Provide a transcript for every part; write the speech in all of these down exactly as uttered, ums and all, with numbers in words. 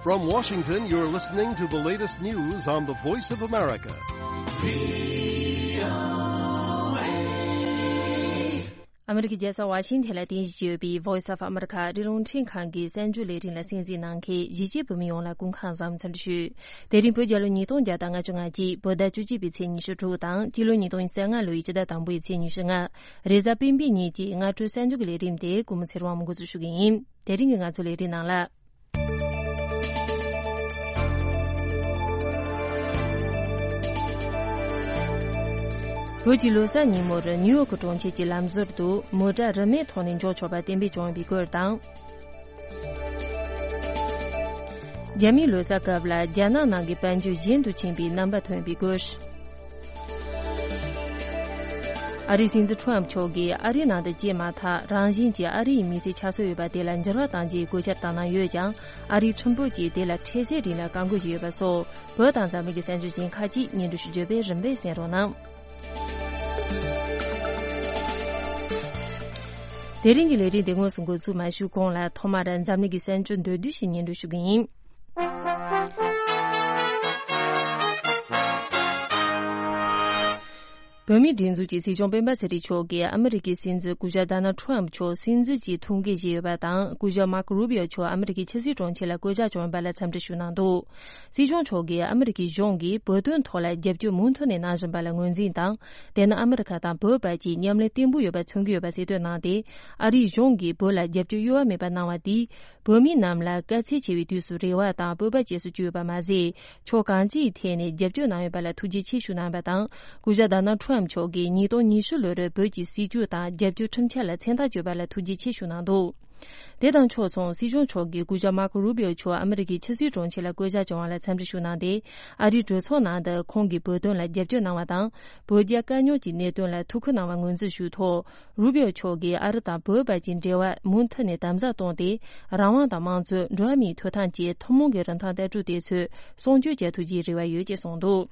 From Washington, you're listening to the latest news on the Voice of America. ཨ་མི་རི་ཀའི་རྒྱལ་ས་ཝ་ཤིང་ཐན་ལ་རྟེན་གཞི་བྱས་ཡོད་པའི་Voice of America ཨ་རིའི་རླུང་འཕྲིན་ཁང་གི་གསར་འགྱུར་ལས་རིམ་ལ་གསན་གཟིགས་གནང་མཁན་གཞིས་བྱེས་བོད་མི་ཡོངས་ལ་སྐུ་ཁམས་བཟང་། འཚམས་འདྲི་ཞུ། དེ་རིང་བོད་རྒྱལ་ལོ་ཉིས་སྟོང་བརྒྱ་དང་ལྔ་བཅུ་ང་གཅིག་བོད་ཟླ་བཅུ་གཅིག་པའི་ཚེས་ཉི་ཤུ་དྲུག་དང་སྤྱི་ལོ་ཉིས་སྟོང་ཉེར་ལྔ་ལོའི་སྤྱི་ཟླ་དང་པོའི་ཚེས་ཉི་ཤུ་ལྔ། རེས་གཟའ་སྤེན་པའི་ཉིན་གྱི་སྔ་དྲོའི་གསར་འགྱུར་གྱི་ལས་རིམ་དེ་ཀུན་མོ་ཚེ་རིང་དབང་མོས་འགོ་འཛུགས་ཞུ་གི་ཡིན། དེ་རིང་གི་ང་ཚོའི་ལས་རིམ་ནང་ལ། བོད་ཀྱི་ལོ་གསར་ཉིན་མོར་ནིའུ་ཡོག་གྲོང་ཁྱེར་གྱི་ལམ་ཟུར་དུ་མོ་ཊ་རིན་མེད་ཐོག་ནས་འཇོག་ཆོག་པ་གཏན་འབེབས་བྱུང་ཡོད་པའི་སྐོར་དང་། རྒྱ་མིའི་ལོ་གསར་སྐབས་ལ་རྒྱ་ནག་ནང་གི་དཔལ་འབྱོར་ཞན་དུ་ཕྱིན་པའི་རྣམ་པ་ཐོན་པའི་སྐོར། ཨ་རིའི་སྲིད་འཛིན་ཁྲོམ་མཆོག་གིས་ཨ་རིའི་ནང་དུ་སྐྱེས་མ་ཐག་རང་བཞིན་གྱིས་ཨ་རི་ཡི་མི་སེར་ཆགས་སྲོལ་ཡོད་པ་དེ་ལ་འགྱུར་བ་གཏང་རྒྱུའི་བཀོད་ཁྱབ་བཏང་གནང་ཡོད་ཀྱང་། ཨ་རིའི་ཁྲིམས་དཔོན་གྱིས་དེ་ལ་འཕྲལ་སེལ་རིང་ལ་བཀག་འགོག་བྱས་ཡོད་པ་སོགས། བོད་དང་འཛམ་གླིང་གི་གསར་འགྱུར་གཞན་ཁག་ཅིག་སྙན་སྒྲོན་ཞུ་རྒྱུ་བས་རིམ་པས་གསན་རོགས་གནང་། དེ་རིང་གི་ལས་རིམ་དེ་དངོས་སུ་འགོ་ཚུགས་མ་ཞུས་གོང་ལ། ཐོག་མར་འཛམ་གླིང་གི་གསར་འགྱུར་མདོར་བསྡུས་ཤིག་སྙན་སྒྲོན་ཞུ་གི་ཡིན། བོད་མིའི་སྒྲིག་འཛུགས་ཀྱི་སྲིད་སྐྱོང་སྤེན་པ་ཚེ་རིང་མཆོག་གིས་ཨ་མི་རི་ཀའི་སྲིད་འཛིན་སྐུ་ཞབས་ཌོ་ནལ་ཁྲོམ་མཆོག་སྲིད་འཛིན་གྱི་ཐུགས་འགན་བཞེས་ཡོད་པ་དང་། སྐུ་ཞབས་མར་ཀོ་རུ་བི་ཨོ་མཆོག་ཨ་མི་རི་ཀའི་ཕྱི་སྲིད་དྲུང་ཆེ་ལ་བསྐོ་གཞག་བྱུང་ཡོད་པ་ལ་འཚམས་འདྲི་ཞུ་གནང་འདུག། སྲིད་སྐྱོང་མཆོག་གིས་ཨ་མི་རི་ཀའི་གཞུང་གིས་བོད་དོན་ཐོག་ལ་རྒྱབ་སྐྱོར་མུ་མཐུད་ནས་གནང་བཞིན་པ་ལ་ངོས་འཛིན་དང་། དེ་ནི་ཨ་མི་རི་ཁ་དང་བོད་བར་གྱི་མཉམ་ལས་བརྟན་པོ་ཡོད་པ་མཚོན་གྱི་ཡོད་པ་གསལ་སྟོན་གནང་སྟེ། ཨ་རིའི་གཞུང་གིས་བོད་ལ་རྒྱབ་སྐྱོར་གཡོ་བ་མེད་པ་གནང་བ་དེས། བོད་མི་རྣམས་ལ་དཀའ་ཚེགས་ཆེ་བའི་དུས་སུ་རེ་བ་དང་སྤོབས་པ་སྐྱེས་སུ་བཅུག་ཡོད་པ་མ་ཟད། ཕྱོགས་གང་ཅིའི་ཐད་ནས་རྒྱབ་སྐྱོར་གནང་ཡོད་པ་ལ་ཐུགས་རྗེ་ཆེ་ཞུ་གནང་བ་དང་། སྐུ་ཞབས་ཌོ་ནལ་ཁྲོམ་མཆོག་གིས་ཉིས་སྟོང་ཉི་ཤུ་ལོར་བོད་ཀྱི་སྲིད་བྱུས་དང་རྒྱབ་སྐྱོར་ཁྲིམས་འཆར་ལ་མཚན་རྟགས་བཅོལ་བ་ལ་ཐུགས་རྗེ་ཆེ་ཞུ་གནང་འདུག། དེ་དང་ཕྱོགས་མཚུངས། སྲིད་སྐྱོང་མཆོག་གིས་སྐུ་ཞབས་མར་ཀོ་རུ་བི་ཨོ་མཆོག་ཨ་མི་རི་ཀའི་ཕྱི་སྲིད་དྲུང་ཆེ་ལ་བསྐོ་གཞག་བྱུང་བ་ལ་འཚམས་འདྲི་ཞུ་གནང་སྟེ། ཨ་རིའི་གྲོས་ཚོགས་ནང་དུ་ཁོང་གིས་བོད་དོན་ལ་རྒྱབ་སྐྱོར་གནང་བ་དང་། བོད་རྒྱ་དཀའ་རྙོག་གི་གནད་དོན་ལ་ཐུགས་ཁུར་གནང་བ་ངོས་འཛིན་ཞུས་ཐོག། རུ་བི་ཨོ་མཆོག་གིས་ཨ་རི་དང་བོད་བར་གྱི་འབྲེལ་བ་མུ་མཐུད་ནས་དམ་ཟབ་བཏང་སྟེ། རང་དབང་དང་དམངས་གཙོ། འགྲོ་བ་མིའི་ཐོབ་ཐང་བཅས་ཐུན་མོང་གི་རིན་ཐང་ལྟ་གྲུབ་དེ་ཚོ་སྲུང་སྐྱོབ་བྱ་ཐུབ་རྒྱུའི་རེ་བ་ཡོད་ཅེས་གསུངས་འདུག།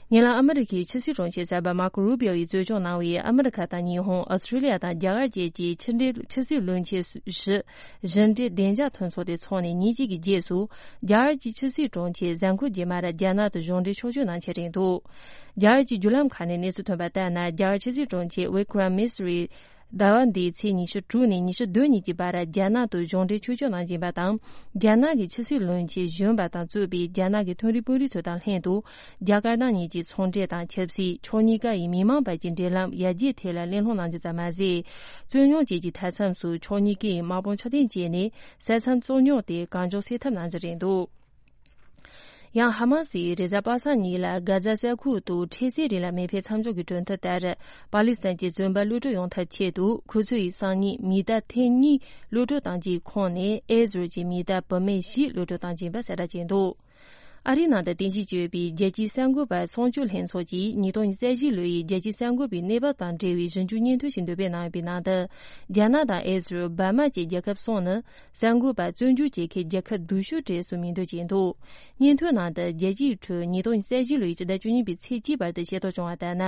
ཉེ་ལམ་ཨ་མི་རི་ཁའི་ཕྱི་སྲིད་དྲུང་ཆེ་གསར་པ་མར་ཀོ་རུ་བི་ཨོ་ཡིས་གཙོ་སྐྱོང་གནང་བའི་ཨ་མི་རི་ཁ་དང་ཉི་ཧོང་། ཨོ་སི་ཀྲི་ལི་ཡ་དང་རྒྱ་གར་བཅས་ཀྱི་ཕྱི་འབྲེལ། ཕྱི་སྲིད་བློན་ཆེན་བཞི་བཞི་འབྲེལ་བདེ་འཇགས་མཐུན་ཚོགས་དེ་འཚོགས་ནས་ཉིན་གཅིག་གི་རྗེས་སུ། རྒྱ་གར་གྱི་ཕྱི་སྲིད་དྲུང་ཆེ་གཟའ་འཁོར་རྗེས་མར་རྒྱ་ནག་ཏུ་གཞུང་འབྲེལ་ཕྱོགས་བསྐྱོད་གནང་འཆར་རེད་འདུག། རྒྱ་གར་གྱི་བརྒྱུད་ལམ་ཁག་ནས་གནས་ཚུལ་ཐོན་པ་ལྟར་ན། རྒྱ་གར་ཕྱི་སྲིད་དྲུང་ཆེ་ཝི་ཀྲམ་མི་སི་རི། ཟླ་བ་འདིའི་ཚེས་ཉི་ཤུ་དྲུག་ནས་ཉི་ཤུ་བདུན་ཉིན་གྱི་བར་རྒྱ་ནག་ཏུ་གཞུང་འབྲེལ་ཕྱོགས་བསྐྱོད་གནང་བཞིན་པ་དང་། རྒྱ་ནག་གི་ཕྱི་སྲིད་བློན་ཆེན་གཞོན་པ་དང་གཙོས་པའི་རྒྱ་ནག་གི་མཐོ་རིམ་དཔོན་རིགས་ཚོ་དང་ལྷན་དུ། རྒྱ་དཀར་ནག་གཉིས་ཀྱི་ཚོང་འབྲེལ་དང་ཆབ་སྲིད། ཕྱོགས་གཉིས་ཀ་ཡི་མི་མང་བར་གྱི་འབྲེལ་ལམ་ཡར་རྒྱས་ཐད་ལ་གླེང་སློང་གནང་རྒྱུ་ཙམ་མ་ཟད། རྩོད་རྙོག་བཅས་ཀྱི་མཐའ་མཚམས་སུ་ཕྱོགས་གཉིས་ཀས་དམག་དཔུང་ཕྱིར་འཐེན་བྱས་ནས་ས་མཚམས་རྩོད་རྙོག་དེ་གང་མགྱོགས་སེལ་ཐབས་གནང་རྒྱུ་རེད་འདུག། ཡང་། ཧ་མ་སིས་རེས་གཟའ་པ་སངས་ཉིན་ལ་གྷ་ཛ་ས་ཁུལ་དུ་འཕྲལ་སེལ་རིང་ལ་མེ་འཕེན་མཚམས་འཇོག་གི་གྲོས་མཐུན་ལྟར། པ་ལི་སི་ཐན་གྱི་བཙོན་པ་གློད་གྲོལ་ཡོང་ཐབས་ཆེད་དུ། ཁོ་ཚོ་ཡིས་སང་ཉིན་མི་གཏའ་ཐེངས་གཉིས་གློད་གྲོལ་བཏང་རྒྱུའི་ཁོངས་ནས། ཨེ་ཟི་རལ་གྱི་མི་གཏའ་བུད་མེད་བཞི་གློད་གྲོལ་བཏང་རྒྱུ་ཡིན་པ་གསལ་བསྒྲགས་བྱས་འདུག། ཨ་རིའི་ནང་དུ་རྟེན་གཞི་བྱས་ཡོད་པའི་རྒྱལ་སྤྱིའི་གསར་འགོད་པ་སྲུང་སྐྱོབ་ལྷན་ཚོགས་ཀྱིས་ཉིས་སྟོང་ཉི་ཤུ་རྩ་བཞི་ལོའི་རྒྱལ་སྤྱིའི་གསར་འགོད་པའི་གནས་བབ་དང་འབྲེལ་བའི་ཞིབ་འཇུག་སྙན་ཐོ་ཞིག་འདོན་སྤེལ་གནང་ཡོད་པའི་ནང་དུ། རྒྱ་ནག་དང་ཨེ་ཟི་རལ། འབར་མ་བཅས་རྒྱལ་ཁབ་གསུམ་ནི། གསར་འགོད་པ་བཙོན་འཇུག་བྱེད་མཁན་རྒྱལ་ཁབ་སྡུག་ཤོས་གྲས་སུ་མིང་འདོན་བྱས་འདུག། སྙན་ཐོའི་ནང་དུ། རྒྱལ་སྤྱིའི་ཁྲོད་ཉིས་སྟོང་ཉི་ཤུ་རྩ་བཞི་ལོའི་ཕྱི་ཟླ་བཅུ་གཉིས་པའི་ཚེས་གཅིག་བར་དུ་ཤེས་རྟོགས་བྱུང་བ་ལྟར་ན།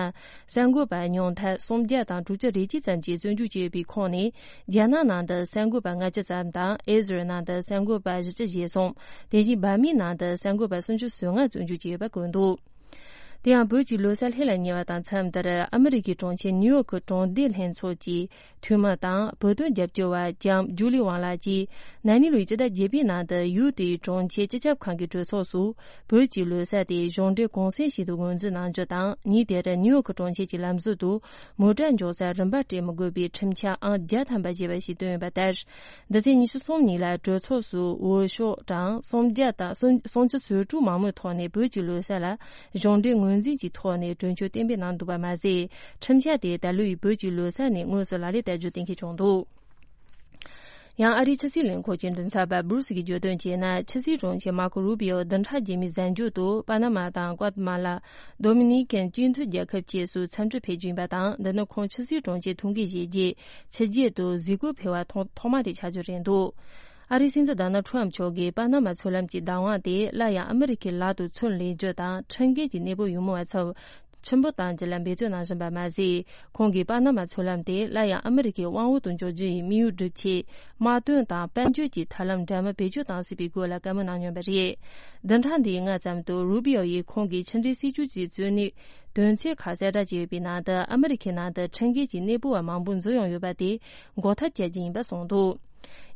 གསར་འགོད་པ་ཉུང་མཐར་སུམ་བརྒྱ་དང་དྲུག་ཅུ་རེ་གཅིག་ཙམ་གྱིས་བཙོན་འཇུག་བྱས་ཡོད་པའི་ཁོངས་ནས། རྒྱ་ནག་ནང་དུ་གསར་འགོད་པ་ལྔ་བཅུ་ཙམ་དང་། ཨེ་ཟི་རལ་ནང་དུ་གསར་འགོད་པ་བཞི་བཅུ་ཞེ་གསུམ། དེ་བཞིན་འབར་མའི་ནང་དུ་གསར་འགོད་པ་སུམ་ཅུ་སོ་ལྔ་བཙོན་འཇུག་བྱས་ཡོད་པ་བཀོད་འདུག། དེ་ཡང་། བོད་ཀྱི་ལོ་གསར་ལྷོད་ལ་ཉེ་བ་དང་མཚམས་དེར། ཨ་མི་རི་ཀའི་གྲོང་ཁྱེར་ནིའུ་ཡོག་གི་གྲོང་སྡེ་ལྷན་ཚོགས་ཀྱི་འཐུས་མི་དང་། བོད་དོན་རྒྱབ་སྐྱོར་བ་ལྕམ་ཇུ་ལི་ཝང་ལགས་ཀྱིས། ན་ནིང་ལོའི་སྤྱི་ཟླ་བརྒྱད་པའི་ནང་དུ། ཡུལ་དེའི་གྲོང་ཁྱེར་སྤྱི་ཁྱབ་ཁང་གི་གྲོས་ཚོགས་སུ། བོད་ཀྱི་ལོ་གསར་དེ་གཞུང་འབྲེལ་གུང་སེང་ཞིག་ཏུ་ངོས་འཛིན་གནང་རྒྱུ་དང་། ཉིན་དེར་ནིའུ་ཡོག་གི་གྲོང་ཁྱེར་གྱི་ལམ་ཟུར་དུ། མོ་ཊ་འཇོག་ས་རིན་པ་སྤྲད་མི་དགོས་པའི་ཁྲིམས་འཆར་ཨང་བརྒྱ་ཐམ་པ་ཞེས་པ་ཞིག་བཏོན་ཡོད་པ་ལྟར། འདི་ཚེས་ཉི་ཤུ་གསུམ་ཉིན་ལ་གྲོས་ཚོགས་སུ་འོས་ཤོག་གྲངས་སུམ་བརྒྱ་དང་སུམ་སུམ་ཅུ་སོ་དྲུག་མང་མོས་ཐོག་ནས། བོད་ཀྱི་ལོ་གསར་ལ་གཞུང་འབྲེལ་ངོས་འཛིན་གྱི་ཐོག་ནས་གྲོས་ཆོད་གཏན་འབེབས་གནང་འདུག་པ་མ་ཟད། ཁྲིམས་འཆར་དེ་ད་ལོའི་བོད་ཀྱི་ལོ་གསར་ནས་དངོས་སུ་ལག་ལེན་བསྟར་རྒྱུ་གཏན་འཁེལ་བྱུང་འདུག། ཡང་། ཨ་རིའི་ཕྱི་སྲིད་ལས་ཁུངས་ཀྱི་མགྲིན་ཚབ་པ་སྦུ་རུ་སི་གིས་བརྗོད་དོན་བྱས་ན། ཕྱི་སྲིད་དྲུང་ཆེ་མར་ཀོ་རུ་བི་ཨོ་བདུན་ཕྲག་རྗེས་མའི་གཟའ་མཇུག་ཏུ། པ་ན་མ་དང་ཀོ་ཏ་མ་ལ། ཌོ་མི་ནི་ཀན་སྤྱི་མཐུན་རྒྱལ་ཁབ་བཅས་སུ་འཚམས་འདྲིར་ཕེབས་རྒྱུ་ཡིན་པ་དང་། འདི་ནི་ཁོང་ཕྱི་སྲིད་དྲུང་ཆེའི་ཐུགས་འགན་བཞེས་རྗེས། ཕྱི་རྒྱལ་དུ་གཟིགས་སྐོར་ཕེབས་པ་ཐོག་ཐོག་མ་དེ་ཆགས་རྒྱུ་རེད་འདུག། ཨ་རིའི་སྲིད་འཛིན་ཌོ་ནལ་ཁྲོམ་མཆོག་གིས་པ་ན་མ་མཚོ་ལམ་གྱི་བདག་དབང་དེ་སླར་ཡང་ཨ་མི་རི་ཀའི་ལག་ཏུ་ཚུར་ལེན་རྒྱུ་དང་། ཁྲིམས་འགལ་གྱི་གནས་བབ་ཡོད་མེད་པ་ཚོར། ཆེན་པོ་གཏང་རྒྱུ་ལ་འབད་བརྩོན་གནང་བཞིན་པ་མ་ཟད། ཁོང་གིས་པ་ན་མ་ཚུན་ལམ་དེ་སླར་ཡང་ཨ་མི་རི་ཀའི་དབང་འོག་ཏུ་འཇོག་རྒྱུ་ཡི་དམིགས་ཡུལ་སྒྲུབ་ཆེད། དམག་དོན་དང་དཔལ་འབྱོར་གྱི་ཐབས་ལམ་འདྲ་མིན་བེད་སྤྱོད་གཏང་སྲིད་པའི་སྐོར་ལ་བཀའ་མོལ་གནང་མྱོང་པ་རེད། བདུན་ཕྲག་འདིའི་སྔ་ཙམ་དུ་རུ་པི་ཡོ་ཡིས་ཁོང་གིས་ཕྱི་འབྲེལ་སྲིད་ཇུས་ཀྱི་གཙོ་གནད་དོན་ཚན་ཁག་གསལ་བསྒྲགས་བྱས་ཡོད་པའི་ནང་དུ། ཨ་མི་རི་ཁའི་ནང་དུ་ཁྲིམས་འགལ་གྱི་གནས་སྤོ་བ་མང་པོ་འཛུལ་ཡོང་ཡོད་པ་དེ་འགོག་ཐབས་བྱ་རྒྱུ་ཡིན་པ་གསུངས་འདུག།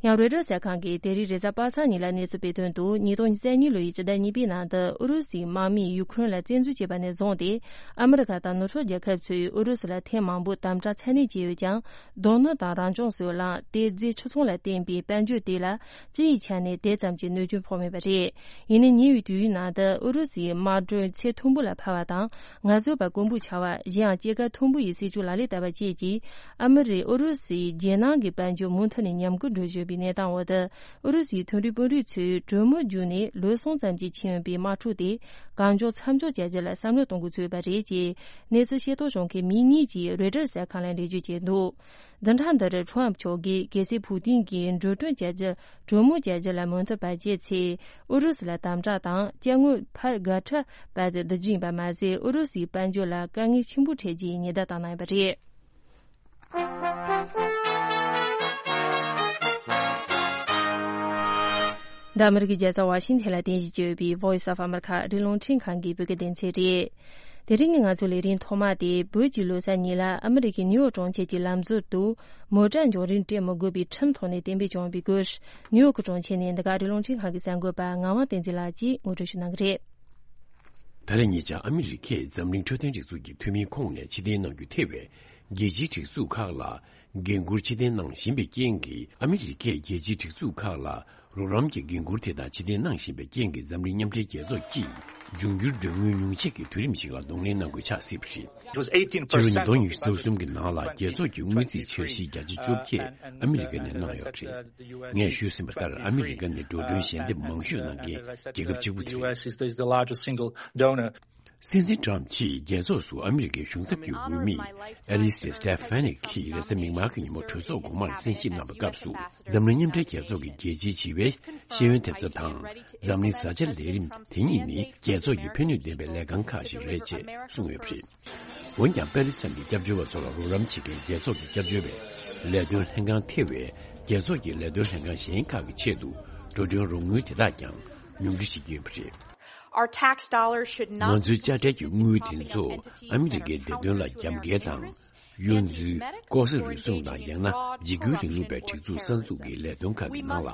ཡང་རོའི་ཊར་གསར་ཁང་གིས་དེ་རིང་རེས་གཟའ་པ་སངས་ཉིན་ལ་གནས་ཚུལ་སྤེལ་དོན་དུ། ཉིས་སྟོང་ཉེར་གཉིས་ལོ་ཡི་སྤྱི་ཟླ་གཉིས་པའི་ནང་དུ་ཨུ་རུ་སུའི་དམག་མིས་ཡུ་ཁུ་རེན་ལ་བཙན་འཛུལ་བྱས་པ་ནས་བཟུང་སྟེ། ཨ་མི་རི་ཀ་དང་ནུབ་ཕྱོགས་རྒྱལ་ཁབ་ཚོས་ཨུ་རུ་སུ་ལ་ཐེངས་མང་པོ་དམ་དྲག་ཚ་ནན་བྱས་ཡོད་ཀྱང་། རྡོ་སྣུམ་དང་རང་བྱུང་སོལ་རླངས། ཏེ་རྫས་ཆུ་ཚོང་ལ་བརྟེན་པའི་དཔལ་འབྱོར་དེ་ལ་སྤྱི་ཡི་ཆ་ནས་དེ་ཙམ་གྱི་གནོད་སྐྱོན་ཕོག་མེད་པ་རེད། ཡིན་ནའི་ཉེ་བའི་དུས་ཡུན་ནང་དུ་ཨུ་རུ་སུའི་དམག་སྒྲོན་ཚད་མཐོན་པོ་ལ་འཕར་བ་དང་། ངལ་རྩོལ་པ་དཀོན་པོ་ཆགས་པ། གཞན་ཡང་སྐྱེད་ཀ་མཐོན་པོ་ཡི་སྲིད་ཇུས་ལག་ལེན་བསྟར་བ་བཅས་ཀྱིས། ཨ་མི་རི། ཨུ་རུ་སུའི་རྒྱལ་ནང་གི་དཔལ་འབྱོར་མུ་མཐུད་ནས་ཉམས་རྒུད་འགྲོ་བཞིན་པའི་གནས་སྟངས་འོག་ཏུ། ཨུ་རུ་སུའི་མཐོ་རིམ་དཔོན་རིགས་ཚོས་གྲོས་མོལ་བརྒྱུད་ནས་ལོ་གསུམ་ཙམ་གྱི་ཕྱིན་ཡོད་པའི་དམག་འཁྲུག་དེ་གང་མགྱོགས་མཚམས་འཇོག་བྱ་རྒྱུ་ལ་བསམ་བློ་གཏོང་འགོ་ཚུགས་པ་རེད་ཅེས། གནས་ཚུལ་ཤེས་རྟོགས་བྱུང་མཁན་མི་གཉིས་ཀྱིས་རོའི་ཊར་གསར་ཁང་ལ་འགྲེལ་བརྗོད་བྱས་འདུག། བདུན་ཕྲག་འདིར་ཁྲོམ་མཆོག་གིས་རྒྱལ་སྲས་ཕུའུ་ཏིན་གྱིས་འགྲོ་གྲོན་བྱ་རྒྱུ། གྲོས་མོལ་བྱ་རྒྱུ་ལ་མོས་མཐུན་བ་བྱས་ཚེ། ཨུ་རུ་སུ་ལ་དམ་དྲག་དང་སྐྱབས་མགོན་ཕར་དགའ་ཁྲལ་སྤྲད་དེ་བསྡུ་རྒྱུ་ཡིན་པ་མ་ཟད། ཨུ་རུ་སུའི་དཔལ་འབྱོར་ལ་དཀའ་ངལ་ཆེན་པོ་འཕྲད་རྒྱུ་ཡི་ཉེན་བརྡ་བཏང་གནང་ཡོད་པ་རེད། འདི་ཨ་མི་རི་ཀའི་རྒྱལ་ས་ཝ་ཤིང་ཐན་ལ་རྟེན་གཞི་བྱས་ཡོད་པའི་Voice of America ཨ་རིའི་རླུང་འཕྲིན་ཁང་གི་བོད་སྐད་སྡེ་ཚན་རེད། དེ་རིང་གི་ང་ཚོའི་ལས་རིམ་ཐོག་མ་དེ། བོད་ཀྱི་ལོ་གསར་ཉིན་ལ་ཨ་མི་རི་ཀའི་ནིའུ་ཡོག་གྲོང་ཁྱེར་གྱི་ལམ་ཟུར་དུ་མོ་ཊ་འབྱོར་རིན་སྤྲད་མི་དགོས་པའི་ཁྲིམས་ཐོག་ནས་གཏན་འབེབས་བྱུང་བའི་སྐོར། ནིའུ་ཡོག་གྲོང་ཁྱེར་ནས་འདི་ག་ཨ་རིའི་རླུང་འཕྲིན་ཁང་གི་གསར་འགོད་པ་ངག་དབང་བསྟན་འཛིན་ལགས་ཀྱིས་ངོ་སྤྲོད་ཞུ་གནང་གི་རེད། ད་རེས་ཉེ་ཆར་ཨ་མི་རི་ཀས་འཛམ་གླིང་འཕྲོད་བསྟེན་སྒྲིག་འཛུགས་ཀྱི་འཐུས་མིའི་ཁོངས་ནས་ཕྱིར་འཐེན་གནང་རྒྱུ་ཐེ་བའི་རྒྱལ་སྤྱིའི་སྒྲིག་འཛུགས་ཁག་ལ་འགན་འཁུར་ཕྱིར་འཐེན་གནང་བཞིན་པའི་རྐྱེན་གྱིས། ཨ་མི་རི་ཀས་རྒྱལ་སྤྱིའི་སྒྲིག་འཛུགས་ཁག་ལ་རོགས་རམ་གྱི་འགན་འཁུར་དེ་དག་ཕྱིར་འཐེན་གནང་བཞིན་པའི་རྐྱེན་གྱིས། འཛམ་གླིང་མཉམ་འབྲེལ་རྒྱལ་ཚོགས་ཀྱིས་འབྱུང་འགྱུར་གྲོན་དངུལ་ཉུང་ཆད་ཀྱི་དུས་རིམ་ཞིག་ལ་གདོང་ལེན་གནང་དགོས་ཆགས་སྲིད་པ་རེད། It was eighteen percent. ཕྱི་ལོ་ཉིས་སྟོང་ཉི་ཤུ་རྩ་གསུམ་གྱི་ནང་ལ་རྒྱལ་ཚོགས་ཀྱི་དངུལ་རྩིས་འཆར་གཞིའི་བརྒྱ་ཆ་བཅོ་བརྒྱད་ཨ་མི་རི་ཀ་ནས་གནང་ཡོད་པ་རེད། ངས་ཞུས་ཟིན་པ་ལྟར། ཨ་མི་རི་ཀ་ནི་འགྲོ་གྲོན་ཞལ་འདེབས་མང་ཤོས་གནང་མཁན་རྒྱལ་ཁབ་གཅིག་པུ་དེ་རེད། The U S is the, is the largest single donor. སྲིད་འཛིན་ཊམ་གྱིས་རྒྱལ་ཚོགས་སུ་ཨ་མི་རི་ཀའི་གཞུང་ཚབ་ཀྱི་འོས་མི་ཨེ་ལི་སི་སི་ཊེ་ཕ་ནི་གིས་རེས་གཟའ་མིག་དམར་གྱི་ཉིན་མོ་གྲོས་ཚོགས་གོང་མར་གསན་ཞིབ་གནང་བའི་སྐབས་སུ། འཛམ་གླིང་མཉམ་འབྲེལ་རྒྱལ་ཚོགས་ཀྱི་རྒྱལ་སྤྱིའི་བྱིས་པའི་ཤེས་ཡོན་ཐེབས་རྩ་དང་། འཛམ་གླིང་བཟའ་བཅའ་ལས་རིམ་དེ་གཉིས་ནི་རྒྱལ་ཚོགས་ཀྱི་ཕན་ནུས་ལྡན་པའི་ལས་རྐང་ཁག་ཞིག་རེད་ཅེས་གསུངས་ཡོད་པ་རེད། འོན་ཀྱང་། པེ་ལི་སི་ཐང་གི་སྐྱབས་བཅོལ་བ་ཚོ་ལ་རོགས་རམ་བྱེད་མཁན་རྒྱལ་ཚོགས་ཀྱི་སྐྱབས་བཅོལ་བའི་ལས་དོན་ལྷན་ཁང་ཐེ་བའི་རྒྱལ་ཚོགས་ཀྱི་ལས་དོན་ལྷན་ཁང་གཞན་ཁག་གི་ཆེད་དུ་འགྲོ་གྲོན་རོགས་དངུལ་དེ་དག་ཀྱང་ཉུང་འཕྲི་བྱེད་ཀྱི་ཡོད་པ་རེད། Our tax dollars should not ང་ཚོའི་དཔྱ་ཁྲལ་གྱི་དངུལ་དེ་ཚོ་ཨ་མི་རི་ཀའི་བདེ་དོན་ལ་རྒྱབ་འགལ་དང་། གཡོ་འཛུལ། ལྐོག་ཟ་རུལ་སུངས་དང་། ཡང་ན་འཇིགས་སྐུལ་རིང་ལུགས་པའི་སྒྲིག་འཛུགས་གསར་འཛུགས་ཀྱི་ལས་དོན་ཁག་གི་ནང་ལ་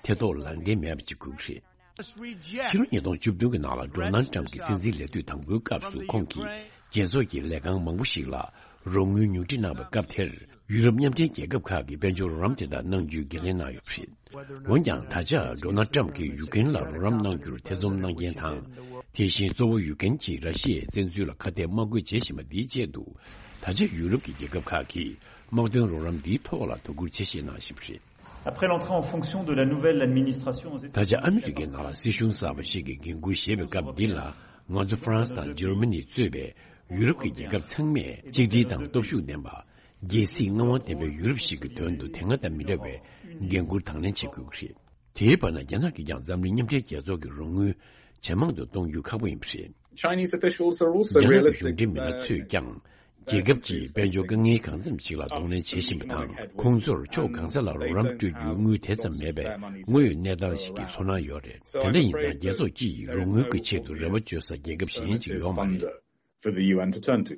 ཐེ་གཏོགས་ལངས་གཏན་མེད་པ་ཅིག་དགོས་ཀྱི་རེད། ཕྱི་ལོ་ཉིས་སྟོང་བཅུ་བདུན་གྱི་ནང་ལ་ཌོ་ནལ་ཊམ་གྱི་སྲིད་འཛིན་ལས་དུས་དང་པོའི་སྐབས་སུ། ཁོང་གིས་རྒྱལ་ཚོགས་ཀྱི་ལས་ཁང་མང་པོ་ཞིག་ལ་རོགས་དངུལ་ཉུང་འཕྲི་གནང་བའི་སྐབས་དེར། ཡུ་རོབ་མཉམ་འབྲེལ་རྒྱལ་ཁབ་ཁག་གིས་དཔལ་འབྱོར་རོགས་རམ་དེ་དག་གནང་རྒྱུའི་འགན་ལེན་གནང་ཡོད་པ་རེད། འོན་ཀྱང་། ད་ཆ་ཌོ་ནལ་ཊམ་གྱིས་ཡུ་ཀེ་རེན་ལ་རོགས་རམ་གནང་རྒྱུར་ཐེ་ཚོམ་གནང་མཁན་དང་། དེ་བཞིན་གཙོ་བོ་ཡུ་ཀེ་རེན་གྱིས་ར་ཤི་ཡའི་བཙན་འཛུལ་ལ་ཁ་གཏད་མ་དགོས་བྱེད་བཞིན་པ་འདིའི་ཆེད་དུ། ད་ཆ་ཡུ་རོབ་ཀྱི་རྒྱལ་ཁབ་ཁག་གིས་དམག་དོན་རོགས་རམ་འདིའི་ཐོག་ལ་དོ་ཁུར་ཆེ་བཞེས་གནང་བཞིན་པ་རེད། Après l'entrée en fonction de la nouvelle administration aux États-Unis. ད་ཆ་ཨ་མི་རི་ཀའི་ནང་ལ་སྲིད་གཞུང་གསར་པ་ཞིག་གི་འགན་འཁུར་བཞེས་པའི་སྐབས་འདི་ལ། ང་ཚོ་ཧྥ་རན་སི་དང་འཇར་མ་ནི་གཙོས་པའི་ཡུ་རོབ་ཀྱི་རྒྱལ་ཁབ་ཚང་མས་གཅིག་སྒྲིལ་དང་སྟོབས་ཤུགས་ལྡན་པ། རྒྱལ་སྲིད་མངའ་དབང་ལྡན་པའི་ཡུ་རོབ་ཞིག་གི་དོན་དུ་དེ་སྔ་དང་མི་འདྲ་བའི་འགན་འཁུར་དང་ལེན་བྱེད་དགོས་ཀྱི་རེད། དེའི་བར་ན། རྒྱ་ནག་གིས་ཀྱང་འཛམ་གླིང་མཉམ་འབྲེལ་རྒྱལ་ཚོགས་ཀྱི་རོགས་དངུལ་ཇེ་མང་དུ་གཏོང་རྒྱུ་ཁག་པོ་ཡིན་པ་རེད། Chinese officials are also རྒྱ་ནག་གི་realistic གཞུང་འབྲེལ་མི་སྣ་ཚོས་ཀྱང་། རྒྱལ་ཁབ་ཀྱིས་དཔལ་འབྱོར་དཀའ་ངལ་གང་འཚམ་ཞིག་ལ་གདོང་ལེན་བྱེད་བཞིན་པ་དང་། ཁོང་ཚོར་ཕྱོགས་གང་ས་ལ་རོགས་རམ་སྤྲོད་རྒྱུའི་དངུལ་དེ་ཙམ་མེད་པའི་དངོས་ཡོད་གནས་སྟངས་ཤིག་གི་ཚོར་སྣང་ཡོད་རེད། དེ་འདྲ་ཡིན་ཙང་། རྒྱལ་ཚོགས་ཀྱིས་རོགས་དངུལ་གྱི་ཆེད་དུ་རེ་བ་བཅོལ་ས་རྒྱལ་ཁབ་གཞན་ཅིག་ཡོད་མ་རེད། For the U N to turn to.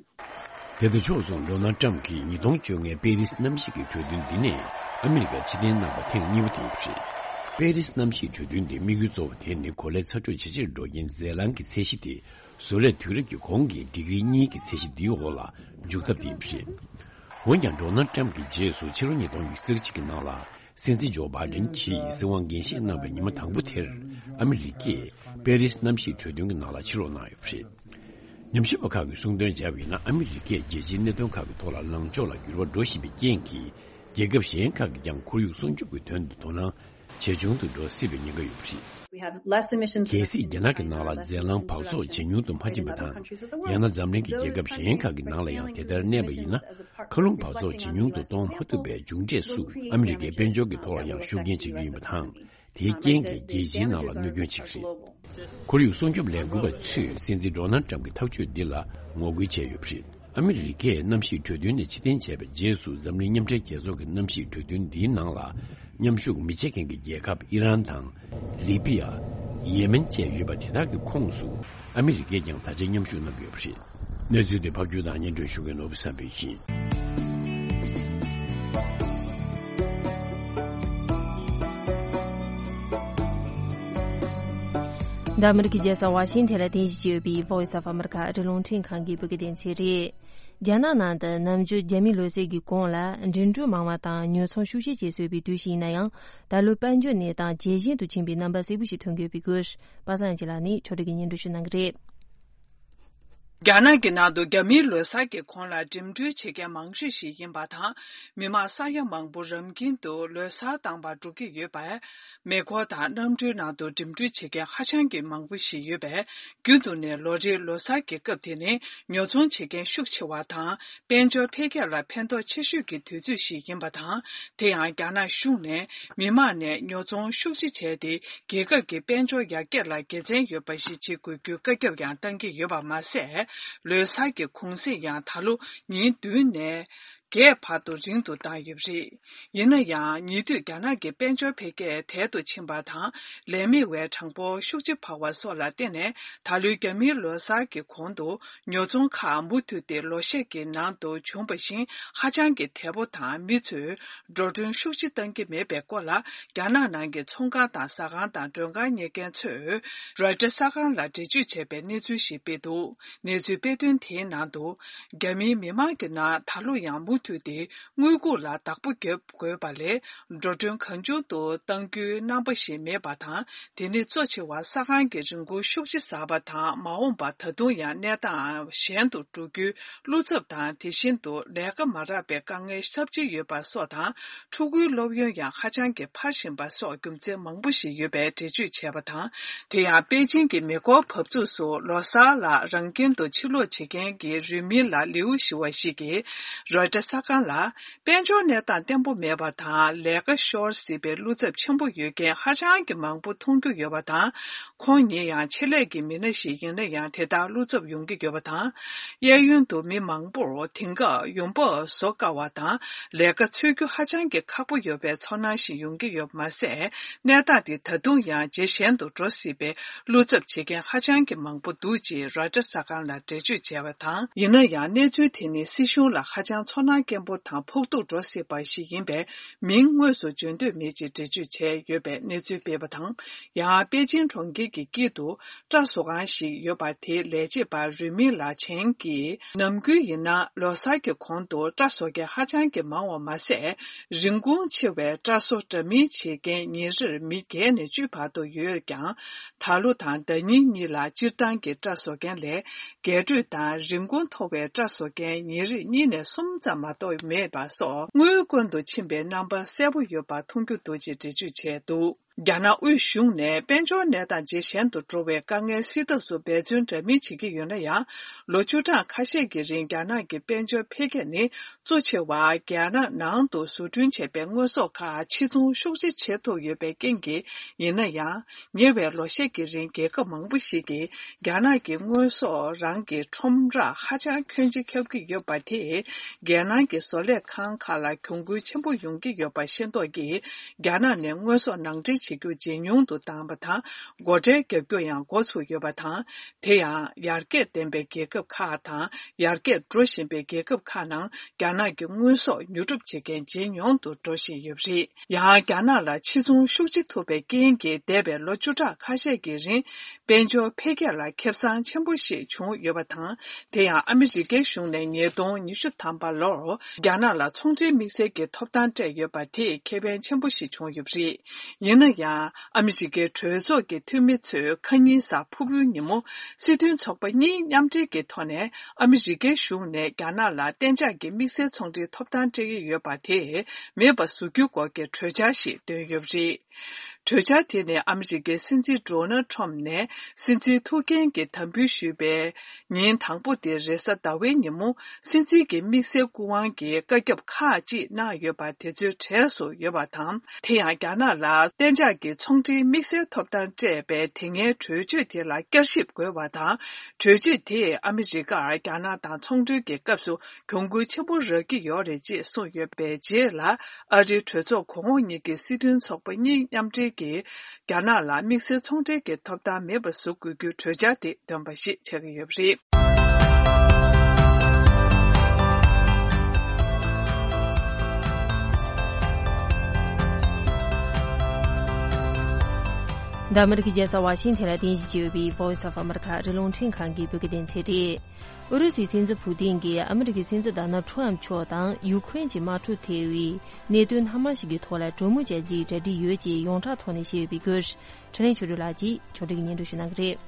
དེ་དང་ཕྱོགས་མཚུངས། ཌོ་ནལ་ཊམ་གྱིས་ཉིས་སྟོང་བཅོ་ལྔའི་པེ་རིས་གནམ་གཤིས་ཀྱི་གྲོས་མཐུན་འདི་ནས་ཨ་མི་རི་ཀར་ཕྱིར་འཐེན་གནང་བ་ཐེངས་གཉིས་པ་དེ་ཡིན་པ་རེད། པེ་རིས་གནམ་གཤིས་གྲོས་མཐུན་འདིའི་དམིགས་ཡུལ་གཙོ་བོ་དེ་ནི་གོ་ལའི་ཚ་དྲོད་ཇེ་ཆེར་འགྲོ་རྐྱེན་རྫས་རླངས་ཀྱི་ཚད་གཞི་དེ། བཟོ་ལས་དུས་རབས་ཀྱི་གོང་གི་ཌི་གྲི་གཉིས་ཀྱི་ཚད་གཞི་འདིའི་འོག་ལ་འཇུག་ཐབས་དེ་ཡིན་པ་རེད། འོན་ཀྱང་། ཌོ་ནལ་ཊམ་གྱི་རྗེས་སུ་ཕྱི་ལོ་ཉིས་སྟོང་ཉི་ཤུ་རྩ་གཅིག་གི་ནང་ལ། སྲིད་འཛིན་ཇོ་བྷའི་ཌེན་གྱིས་སྲིད་དབང་འགན་བཞེས་གནང་བའི་ཉི་མ་དང་པོ་དེར། ཨ་མི་རི་ཀས་པེ་རིས་གནམ་གཤིས་གྲོས་མཐུན་གྱི་ནང་ལ་ཕྱིར་ལོག་གནང་ཡོད་པ་རེད། ཉམས་ཞིབ་པ་ཁག་གིས་གསུངས་དོན་བྱས་པ་ཡིན་ན། ཨ་མི་རི་ཀས་རྒྱལ་སྤྱིའི་གནད་དོན་ཁག་གི་ཐོག་ལ་ལངས་ཕྱོགས་ལ་འགྱུར་བ་འགྲོ་བཞིན་པའི་རྐྱེན་གྱིས། རྒྱལ་ཁབ་གཞན་ཁག་གིས་ཀྱང་ཁོར་ཡུག་སྲུང་སྐྱོབ་ཀྱི་དོན་དུ་དོ་སྣང་ཇེ་ཆུང་དུ་འགྲོ་སྲིད་པའི་ཉེན་ཁ་ཡོད་པ་རེད། We have less emissions གལ་སྲིད་རྒྱ་ནག་གི་ནང་ལ་རྫས་རླངས་འབག་བཙོག་ཇེ་ཉུང་དུ་མ་ཕྱིན་པ་དང་། ཡང་ན་འཛམ་གླིང་གི་རྒྱལ་ཁབ་གཞན་ཁག་གི་ནང་ལ་ཡང་དེ་ལྟར་གནས་པ་ཡིན་ན། མཁའ་རླུང་འབག་བཙོག་ཇེ་ཉུང་དུ་གཏོང་མ་ཐུབ་པའི་མཇུག་འབྲས་སུ། ཨ་མི་རི་ཀའི་དཔལ་འབྱོར་གྱི་ཐོག་ལ་ཡང་ཤུགས་རྐྱེན་བྱེད་རྒྱུ་ཡིན་པ་དང་། དེའི་རྐྱེན་གྱིས་རྒྱལ་སྤྱིའི་ནང་ལ་གནོད་སྐྱོན་བྱེད་ཀྱི་རེད། ཁོར་ཡུག་སྲུང་སྐྱོབ་ལས་འགུལ་བ་ཚོས་སྲིད་འཛིན་ཌོ་ནལ་ཊམ་གྱི་ཐག་གཅོད་འདི་ལ་ངོ་རྒོལ་བྱས་ཡོད་པ་རེད། ཨ་མི་རི་ཀས་གནམ་གཤིས་གྲོས་མཐུན་ནས་ཕྱིར་འཐེན་བྱས་པའི་རྗེས་སུ། འཛམ་གླིང་མཉམ་འབྲེལ་རྒྱལ་ཚོགས་ཀྱི་གནམ་གཤིས་གྲོས་མཐུན་འདིའི་ནང་ལ་མཉམ་ཞུགས་མི་བྱེད་མཁན་གྱི་རྒྱལ་ཁབ་ཨི་རན་དང་། ལི་པི་ཡ། ཡེ་མེན་བཅས་ཡོད་པ་དེ་དག་གི་ཁོངས་སུ་ཨ་མི་རི་ཀས་ཀྱང་ད་ཆ་མཉམ་ཞུགས་གནང་གི་ཡོད་པ་རེད། གནས་ཚུལ་དེ་ཕབ་སྒྱུར་དང་སྙན་སྒྲོན་ཞུ་མཁན་ནོར་བུ་བསམ་འཕེལ་ཡིན། འདི་ཨ་མི་རི་ཀའི་རྒྱལ་ས་ཝ་ཤིང་ཐན་ལ་རྟེན་གཞི་བྱས་ཡོད་པའི་Voice of America ཨ་རི་རླུང་འཕྲིན་ཁང་གི་བོད་སྐད་སྡེ་ཚན་རེད། རྒྱ་ནག་ནང་དུ་ནམ་རྒྱུན་རྒྱ་མིའི་ལོ་གསར་གྱི་གོང་ལ་འགྲིམ་འགྲུལ་མང་བ་དང་ཉོ་ཚོང་ཤུགས་ཆེ་བྱེད་སྲོལ་ཡོད་པའི་དུས་ཤིག་ཡིན་ན་ཡང་། ད་ལོ་དཔལ་འབྱོར་གནས་སྟངས་ཇེ་ཞན་དུ་ཕྱིན་པའི་རྣམ་པ་གསལ་པོ་ཞིག་ཐོན་གྱི་ཡོད་པའི་སྐོར། པ་སངས་སྐྱིད་ལགས་ནས་ཕྱོགས་སྒྲིག་གིས་སྙན་སྒྲོན་ཞུ་གནང་གི་རེད། རྒྱ་ནག་གི་ནང་དུ་རྒྱ་མིའི་ལོ་གསར་གྱི་གོང་ལ་འགྲིམ་འགྲུལ་བྱེད་མཁན་མང་ཤོས་ཤིག་ཡིན་པ་དང་། མི་མང་ས་ཡ་མང་པོ་རང་ཁྱིམ་དུ་ལོ་གསར་བཏང་བར་འགྲོ་གི་ཡོད་པས། མེ་འཁོར་དང་གནམ་གྲུའི་ནང་དུ་འགྲིམ་འགྲུལ་བྱེད་མཁན་ཧ་ཅང་གི་མང་པོ་ཞིག་ཡོད་པས། རྒྱུན་དུ་ནས་ལོ་རེའི་ལོ་གསར་གྱི་སྐབས་དེ་ནི་ཉོ་ཚོང་བྱེད་མཁན་ཤུགས་ཆེ་བ་དང་། དཔལ་འབྱོར་འཕེལ་རྒྱས་ལ་ཕན་ཐོགས་ཆེ་ཤོས་ཀྱི་དུས་ཚོད་ཞིག་ཡིན་པ་དང་། དེ་ཡང་རྒྱ་ནག་གཞུང་ནས་མི་མང་ནས་ཉོ་ཚོང་ཤུགས་ཆེ་བྱས་ཏེ། རྒྱལ་ཁབ་ཀྱི་དཔལ་འབྱོར་ཡར་རྒྱས་ལ་དགེ་མཚན་ཡོད་པ་ཞིག་བྱེད་དགོས་རྒྱུའི་བཀའ་ཁྱབ་ཡང་བཏང་གི་ཡོད་པ་མ་ཟད། ལོ་གསར་གྱི་གུང་སེང་ཡང་ད་ལོ་ཉིན་བདུན་ནས་བརྒྱད་བར་དུ་རིང་དུ་བཏང་ཡོད་པ་རེད། ཡིན་ན་ཡང་། ཉེ་དུས་རྒྱ་ནག་གི་དཔལ་འབྱོར་འཕེལ་རྒྱས་དལ་དུ་ཕྱིན་པ་དང་། ལས་མེད་པའི་གྲངས་འབོར་ཤུགས་ཆེ་འཕར་བ་སོགས་ལ་བརྟེན་ནས། ད་ལོའི་རྒྱ་མིའི་ལོ་གསར་གྱི་གོང་དུ། ཉོ་ཚོང་ཁག་མུ་མཐུད་དེ་ལོ་ཤས་ཀྱི་ནང་དུ་བྱུང་བ་བཞིན། ཧ་ཅང་གི་དལ་པོ་དང་། མི་ཚོས་འགྲོ་གྲོན་ཤུགས་ཆེ་བཏང་གི་མེད་པའི་སྐོར་ལ། རྒྱ་ནག་ནང་གི་ཚོང་ཁང་དང་ཟ་ཁང་དང་མགྲོན་ཁང་གཉེར་མཁན་ཚོས་རོའི་ཊར་གསར་ཁང་ལ་འགྲེལ་བརྗོད་བྱས་པའི་གནས་ཚུལ་ཞིག་སྤེལ་འདུག་གནས་ཚུལ་སྤེལ་དོན་དེའི་ནང་དུ། རྒྱ་མིའི་མི་མང་གི་ནང་ད་ལོ་ཡང་མུ་མཐུད་དེ་དངུལ་ཁུག་ལ་བདག་པོ་བརྒྱབ་དགོས་པ་ལས། འགྲོ་གྲོན་གང་བྱུང་དུ་གཏང་རྒྱུའི་རྣམ་པ་ཞིག་མེད་པ་དང་། དེ་ནི་གཙོ་ཆེ་བ་ས་ཁང་གི་རིན་གོང་ཤུགས་ཆེ་ཟགས་པ་དང་། མ་འོངས་པར་ད་དུང་ཡང་གནས་སྟངས་ཞན་དུ་འགྲོ་རྒྱུའི་བློ་འཚབ་དང་། དེ་བཞིན་དུ་ལས་ཀ་མ་རག་པའི་དཀའ་ངལ་ཚབས་ཆེ་ཡོད་པ་སོགས་དང་། ཕྲུ་གུའི་སློབ་ཡོན་ཡང་ཧ་ཅང་གི་འཕར་བཞིན་པ་སོགས་རྒྱུ་མཚན་མང་པོ་ཞིག་ཡོད་པའི་འགྲེལ་བརྗོད་བྱས་པ་དང་། དེ་ཡང་པེ་ཅིང་གི་མེ་འཁོར་བབས་ཚུགས་སུ་ལོ་གསར་ལ་རང་ཁྱིམ་དུ་ཕྱིར་ལོག་བྱེད་མཁན་གྱི་རུས་མིང་ལ་ལིའུ་ཞི་བ་ཞིག་གིས་རོའི་ཊར་གསར་ཁང་ལ། དཔལ་འབྱོར་གནས་སྟངས་བརྟན་པོ་མེད་པ་དང་། ལས་ཀ་ཤོར་སྲིད་པའི་བློ་འཚབ་ཆེན་པོ་ཡོད་མཁན་ཧ་ཅང་གི་མང་པོ་མཐོང་རྒྱུ་ཡོད་པ་དང་། ཁོང་ཉིད་ཡང་ཆེད་ལས་ཀྱི་མི་སྣ་ཞིག་ཡིན་ན་ཡང་དེ་ལྟར་བློ་འཚབ་ཡོང་གི་ཡོད་པ་དང་། གཡས་གཡོན་དུ་མི་མང་པོར་དེང་སྐབས་ཡོང་འབབ་བཟོ་དཀའ་བ་དང་། ལས་ཀ་འཚོལ་རྒྱུ་ཧ་ཅང་གི་ཁག་པོ་ཡོད་པའི་ཚོར་སྣང་ཞིག་ཡོང་གི་ཡོད་པ་མ་ཟད། གནས་སྟངས་དེ་ད་དུང་ཡང་ཇེ་ཞན་དུ་འགྲོ་སྲིད་པའི་བློ་འཚབ་བྱེད་མཁན་ཧ་ཅང་གི་མང་པོ་འདུག་ཅེས་རོའི་ཊར་གསར་ཁང་ལ་འགྲེལ་བརྗོད་བྱས་པ་དང་། ཡིན་ན་ཡང་གནས་ཚུལ་དེ་ནི་སྲིད་གཞུང་ལ་ཧ་ཅང་ཚོར་སྣང་སྐྱེན་པོ་དང་ཕོག་ཐུག་འགྲོ་སྲིད་པ་ཞིག་ཡིན་པས། མིང་དངོས་སུ་བརྗོད་འདོད་མེད་ཅེས་འགྲེལ་བརྗོད་བྱས་ཡོད་པའི་གནས་ཚུལ་སྤེལ་བ་དང་། ཡང་པེ་ཅིང་གྲོང་ཁྱེར་གྱི་དཀྱིལ་དུ་སྐྲ་བཟོ་ཁང་ཞིག་ཡོད་པ། དེའི་ལས་བྱེད་པ་རུས་མིང་ལ་ཆེན་གྱིས། ནམ་རྒྱུན་ཡིན་ན་ལོ་གསར་གྱི་གོང་དུ་སྐྲ་བཟོ་མཁན་ཧ་ཅང་གི་མང་བ་མ་ཟད། རིན་གོང་ཆེ་བའི་སྐྲ་བཟོ་འདྲ་མིན་བྱེད་མཁན་ཉིན་རེར་མི་བརྒྱད་ནས་བཅུའི་བར་དུ་ཡོད་ཀྱང་། ད་ལོ་དང་ཟླ་ཉིན་གཉིས་ལ་སྤྱིར་བཏང་གི་སྐྲ་བཟོ་མཁན་ལས། རྒྱས་སྤྲོས་དང་རིན་གོང་མཐོ་བའི་སྐྲ་བཟོ་མཁན་ཉིན་རེར་གཉིས་ནས་གསུམ་ཙམ་མ་གཏོགས་མེད་པ་སོགས་དངུལ་དཀོན་དུ་ཕྱིན་པའི་རྣམ་པ་གསལ་པོ་ཡོད་པ་མཐོང་རྒྱུ་འདུག་ཅེས་འགྲེལ་བརྗོད་བྱས་འདུག་རྒྱ་ནག་དབུས་གཞུང་ནས་དཔལ་འབྱོར་གནས་སྟངས་ཇེ་ཞན་དུ་འགྲོ་བའི་དཀའ་ངལ་སེལ་ཐབས་སུ་འབད་བརྩོན་འདྲ་མིན་བྱེད་ཀྱི་ཡོད་ན་ཡང་། ལོ་བཅུ་གྲངས་ཁ་ཤས་ཀྱི་རིང་རྒྱ་ནག་གི་དཔལ་འབྱོར་འཕེལ་རྒྱས་ནི་གཙོ་ཆེ་བ་རྒྱ་ནག་ནང་དུ་བཟོ་སྐྲུན་བྱས་པའི་དངོས་ཟོག་ཁག་ཕྱིར་ཚོང་ཤུགས་ཆེ་བྱེད་ཐུབ་ཡོད་པའི་རྐྱེན་གྱིས་ཡིན་ན་ཡང་། ཉེ་བའི་ལོ་ཤས་ཀྱི་རིང་རྒྱལ་ཁབ་མང་པོ་ཞིག་གིས་རྒྱ་ནག་གི་དངོས་ཟོག་རང་གི་ཁྲོམ་རར་ཧ་ཅང་ཁྱོན་ཆེ་ཁྱབ་ཀྱི་ཡོད་པ་དེས་རྒྱལ་ནང་གི་བཟོ་ལས་ཁང་ཁག་ལ་གྱོང་གུན་ཆེན་པོ་ཡོང་གི་ཡོད་པ་ཤེས་རྟོགས་ཀྱིས། རྒྱ་ནག་ནས་དངོས་ཟོག་ནང་འདྲེན་བྱེད་རྒྱུ་ཇེ་ཉུང་དུ་བཏང་བ་དང་། སྒོ་ཁྲལ་བརྒྱབ་རྒྱུ་ཡང་འགོ་ཚུགས་ཡོད་པ་དང་། དེ་ཡང་ཡར་རྒྱས་ལྡན་པའི་རྒྱལ་ཁབ་ཁག་དང་ཡར་རྒྱས་འགྲོ་བཞིན་པའི་རྒྱལ་ཁབ་ཁག་ནང་རྒྱ་ནག་གི་དངོས་ཟོག་ཉོ་སྒྲུབ་བྱེད་མཁན་ཇེ་ཉུང་དུ་འགྲོ་བཞིན་ཡོད་པ་རེད། ཡང་རྒྱ་ནག་ལ་ཕྱིར་ཚོང་ཤུགས་ཆེ་ཐུབ་པའི་རྐྱེན་གྱིས་འདས་པའི་ལོ་བཅུ་ཕྲག་ཁ་ཤས་ཀྱི་རིང་དཔལ་འབྱོར་འཕེལ་རྒྱས་ལ་ཁེ་བཟང་ཆེན་པོ་ཞིག་བྱུང་ཡོད་པ་དང་། དེ་ཡང་ཨ་མི་རི་ཀའི་གཞུང་ནས་ཉིས་སྟོང་ཉི་ཤུ་ཐམ་པ་ལོར་རྒྱ་ནག་ལ་ཚོང་འབྲེལ་དམིགས་བསལ་གྱི་ཐོབ་ཐང་སྤྲད་ཡོད་པ་དེས་ཁེ་ཕན་ཆེན་པོ་ཞིག་བྱུང་ཡོད་པ་རེད། ཡིན་ན་ཡང་ཨ་མི་རི་ཀའི་གྲོས་ཚོགས་ཀྱི་འཐུས་མི་ཚོས་ཁ་ཉིན་གཟའ་ཕུར་བུའི་ཉིན་མོ་སྲིད་དོན་ཚོགས་པ་གཉིས་མཉམ་འབྲེལ་གྱི་ཐོག་ནས་ཨ་མི་རི་ཀའི་གཞུང་ནས་རྒྱ་ནག་ལ་གཏན་འཇགས་ཀྱི་དམིགས་བསལ་ཚོང་འབྲེལ་ཐོབ་ཐང་སྤྲད་ཀྱི་ཡོད་པ་དེ་མེད་པ་བཟོ་རྒྱུའི་སྐོར་གྱི་གྲོས་འཆར་ཞིག་བཏོན་ཡོད་པ་རེད། གྲོས་འཆར་དེ་ནི་ཨ་མི་རི་ཀའི་སྲིད་འཛིན་ཌོ་ནལ་ཁྲོམ་ནས་སྲིད་འཛིན་ཐུགས་འགན་གྱི་དམ་འབུལ་ཞུས་པའི་ཉིན་དང་པོ་དེ་རེས་གཟའ་ཟླ་བའི་ཉིན་མོ། སྲིད་འཛིན་གྱི་དམིགས་བསལ་སྐུ་དབང་གི་བཀའ་ཁྱབ་ཁག་ཅིག་གནང་ཡོད་པ་དེ་ཚོའི་གྲས་སུ་ཡོད་པ་དང་། དེ་ཡང་རྒྱ་ནག་ལ་གཏན་འཇགས་ཀྱི་ཚོང་འབྲེལ་དམིགས་བསལ་ཐོབ་ཐང་སྤྲད་པའི་དེ་སྔའི་གྲོས་ཆོད་དེ་ལ་བསྐྱར་ཞིབ་དགོས་པ་དང་། གྲོས་ཆོད་དེས་ཨ་མི་རི་ཀར་རྒྱ་ནག་དང་ཚོང་འབྲེལ་གྱི་སྐབས་སུ་གྱོང་གུན་ཆེན་པོ་རག་གི་ཡོད་རེད་ཅེས་གསུངས་ཡོད་པའི་རྗེས་ལ། ཨ་རིའི་གྲོས་ཚོགས་གོང་འོག་གཉིས་ཀྱི་སྲིད་དོན་ཚོགས་པ་གཉིས་མཉམ་འབྲེལ་གྱིས། རྒྱ་ནག་ལ་དམིགས་བསལ་ཚོང་འབྲེལ་གྱི་ཐོབ་ཐང་མེད་པ་བཟོ་དགོས་རྒྱུའི་གྲོས་འཆར་དེ་འདོན་པ་ཞིག་ཆགས་ཀྱི་ཡོད་པ་རེད། འདི་ཨ་མི་རི་ཀའི་རྒྱལ་ས་ཝ་ཤིང་ཐན་ལ་རྟེན་གཞི་བྱས་ཡོད་པའི་Voice of America ཨ་རིའི་རླུང་འཕྲིན་ཁང་གི་བོད་སྐད་སྡེ་ཚན་རེད། ཨུ་རུ་སུའི་སྲིད་འཛིན་ཕུ་ཏིན་གྱིས་ཨ་མི་རི་ཀའི་སྲིད་འཛིན་ཌོ་ནལ་ཁྲོམ་མཆོག་དང་ཡུ་ཁུ་རེན་གྱི་དམག་འཁྲུག་ཐེ་བའི་གནད་དོན་སྣ་མང་ཞིག་གི་ཐོག་ལ་གྲོས་མོལ་བྱ་རྒྱུའི་གྲ་སྒྲིག་ཡོད་ཅེས་ཡོངས་གྲགས་ཐོག་ནས་བཤད་ཡོད་པའི་སྐོར། འཕྲིན་ལས་ཆོས་སྒྲོན་ལགས་ཀྱིས་ཕྱོགས་སྒྲིག་གིས་སྙན་སྒྲོན་ཞུ་གནང་གི་རེད།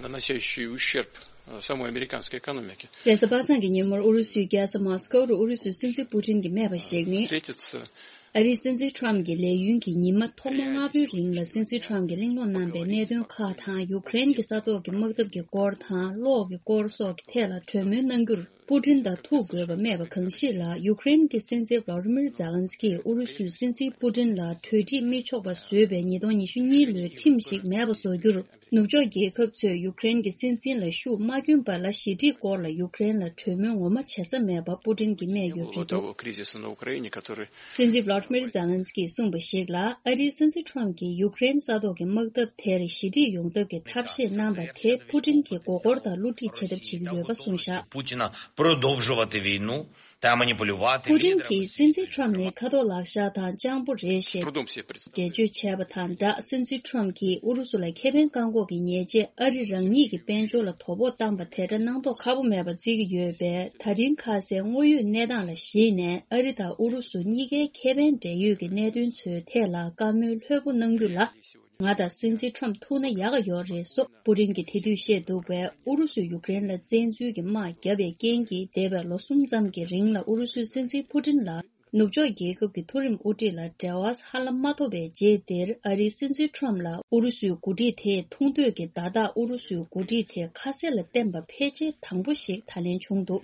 Наносящий ущерб, э, самой американской экономике. རེས་གཟའ་པ་སངས་ཀྱི་ཉིན་མོར་ཨུ་རུ་སུའི་རྒྱལ་ས་མོ་སི་ཀོ་རུ་ཨུ་རུ་སུའི་སྲིད་འཛིན་པུ་ཏིན་གྱིས་སྨྲས་པ་ཞིག་ནི། Встретиться ཨ་རིའི་སྲིད་འཛིན་ཁྲོམ་གྱི་ལས་ཡུན་གྱི་ཉི་མ་ཐོག་མ་ལྔ་པོའི་རིང་ལ་སྲིད་འཛིན་ཁྲོམ་གྱིས་གླེང་སློང་གནང་པའི་གནད་དོན་ཁག་དང་། ཡུ་ཀེ་རེན་གྱི་ས་ཐོག་གི་དམག་འཐབ་ཀྱི་སྐོར་དང་གློག་གི་སྐོར་སོགས་ཀྱི་ཐད་ལ་གྲོས་མོལ་གནང་རྒྱུར་པུ་ཏིན་དང་ཐུག་དགོས་པ་སྨྲས་པ་གང་ཞིག་ལ། ཡུ་ཀེ་རེན་གྱི་སྲིད་འཛིན་ཝ་ལ་ཏི་མིར་ཛེ་ལན་སི་ཀིས་ཨུ་རུ་སུའི་སྲིད་འཛིན་པུ་ཏིན་ལ་གྲོས་འགྲིག་མི་ཆོག་པ་བཟོས་པའི་ཉིས་སྟོང་ཉི་ཤུ་གཉིས་ལོའི་ཁྲིམས་ཤིག་མེད་པ་བཟོ་རྒྱུར། ནུབ་ཕྱོགས་རྒྱལ་ཁབ་ཚོས་ཡུ་ཀེ་རེན་གྱི་སྲིད་འཛིན་ལ་ཤུགས་མ་བསྐྱོན་པ་ལ་ཞི་འགྲིག་སྐོར་ལ་ཡུ་ཀེ་རེན་ལ་གྲོས་མོལ་ངོ་མ་བྱེད་ས་མེད་པ་པུ་ཏིན་གྱིས་སྨྲས་ཡོད་པ་རེད་འདུག། Того кризиса на Украине, который སྲིད་འཛིན་ཝ་ལ་ཏི་མིར་ཛེ་ལན་སི་ཀིས་གསུངས་པ་ཞིག་ལ། ཨ་རིའི་སྲིད་འཛིན་ཁྲོམ་གྱིས་ཡུ་ཀེ་རེན་ས་ཐོག་གི་དམག་འཐབ་དེར་ཞི་འགྲིག་ཡོང་ཐབས་ཀྱི་ཐབས་ཤེས་གནང་པ་དེ་པུ་ཏིན་གྱིས་མགོ་སྐོར་དང་བསླུ་བྲིད་བྱེད་ཐབས་བྱེད་ཀྱི་ཡོད་པ་གསུངས་བཞག། Путина продовжувати війну та маніпулювати. པུ་ཏིན་གྱིས་སྲིད་འཛིན་ཁྲོམ་ནི་ཁ་དོག་ལག་ཤ་དང་སྤྱང་པོ་རེད་ཞེས་འགྲེལ་བརྗོད་བྱས་པ་དང་སྦྲགས། སྲིད་འཛིན་ཁྲོམ་གྱིས་ཨུ་རུ་སུ་ལ་ཁེ་ཕན་བཀག་འགོག་གི་ཉེས་ཆད་ཨ་རི་རང་ཉིད་ཀྱི་དཔལ་འབྱོར་ལ་དོ་ཕོག་བཏང་པ་དེ་འདྲ་སྣང་དོགས་ཁ་པོ་མེད་པར་བརྩི་གི་ཡོད་པས། ད་རིང་ཁ་གསལ་དངོས་ཡོད་གནས་སྟངས་ལ་གཞིགས་ནས། ཨ་རི་དང་ཨུ་རུ་སུ་གཉིས་ཀའི་ཁེ་ཕན་འབྲེལ་ཡོད་ཀྱི་གནད་དོན་ཚོའི་ཐད་ལ་བཀའ་མོལ་ལྷོད་པོ་གནང་རྒྱུ་ལ། ང་དང་སྲིད་འཛིན་ཁྲོམ་ཐུག་ན་ཡག་ག་ཡོད་རེད་སོགས་པུ་ཏིན་གྱིས་དེ་དུས་བཤད་འདུག་པས། ཨུ་རུ་སུས་ཡུ་ཀེ་རེན་ལ་བཙན་འཛུལ་གྱི་དམག་བརྒྱབ་པའི་རྐྱེན་གྱིས། འདས་པའི་ལོ་གསུམ་ཙམ་གྱི་རིང་ལ་ཨུ་རུ་སུའི་སྲིད་འཛིན་པུ་ཏིན་ལ་ནུབ་ཕྱོགས་རྒྱལ་ཁབ་ཀྱི་མཐོ་རིམ་དབུ་ཁྲིད་ལ་འབྲེལ་བ་ཧ་ལམ་མ་ཐོབ་པའི་རྗེས་དེར། ཨ་རིའི་སྲིད་འཛིན་ཁྲོམ་ལ་ཨུ་རུ་སུའི་འགོ་ཁྲིད་དེས་ཐུག་འདོད་ཀྱི་བརྡ་རྟགས་ཨུ་རུ་སུའི་འགོ་ཁྲིད་དེ་ཁ་གསལ་ལ་བསྟན་པ་ཕལ་ཆེར་དང་པོ་ཞིག་ད་ལན་བྱུང་འདུག།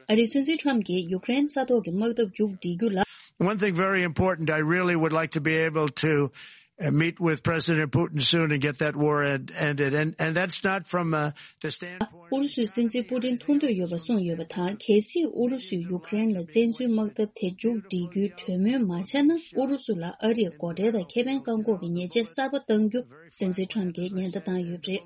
ཨ་རིའི་སྲིད་འཛིན་ཁྲོམ་གྱིས་ཡུ་ཀེ་རེན་ས་ཐོག་གི་དམག་འཐབ་མཇུག་སྒྲིལ་རྒྱུ་ལ། One thing very important, I really would like to be able to, uh, meet with President Putin soon and get that war end-, ended. And, and that's not from, uh, the standpoint of ཨུ་རུ་སུའི་སྲིད་འཛིན་པུ་ཏིན་ཐུག་འདོད་ཡོད་པ་གསུངས་ཡོད་པ་དང་། གལ་སྲིད་ཨུ་རུ་སུས་ཡུ་ཀེ་རེན་ལ་བཙན་འཛུལ་དམག་འཐབ་དེ་མཇུག་སྒྲིལ་རྒྱུའི་གྲོས་མོལ་མ་བྱས་ན། ཨུ་རུ་སུ་ལ་ཨ་རིས་སྒོ་ཁྲལ་དང་ཁེ་ཕན་བཀག་འགོག་གི་ཉེས་ཆད་གསར་པ་གཏང་རྒྱུ་སྲིད་འཛིན་ཁྲོམ་གྱིས་ཉེན་བརྡ་བཏང་ཡོད་པ་རེད།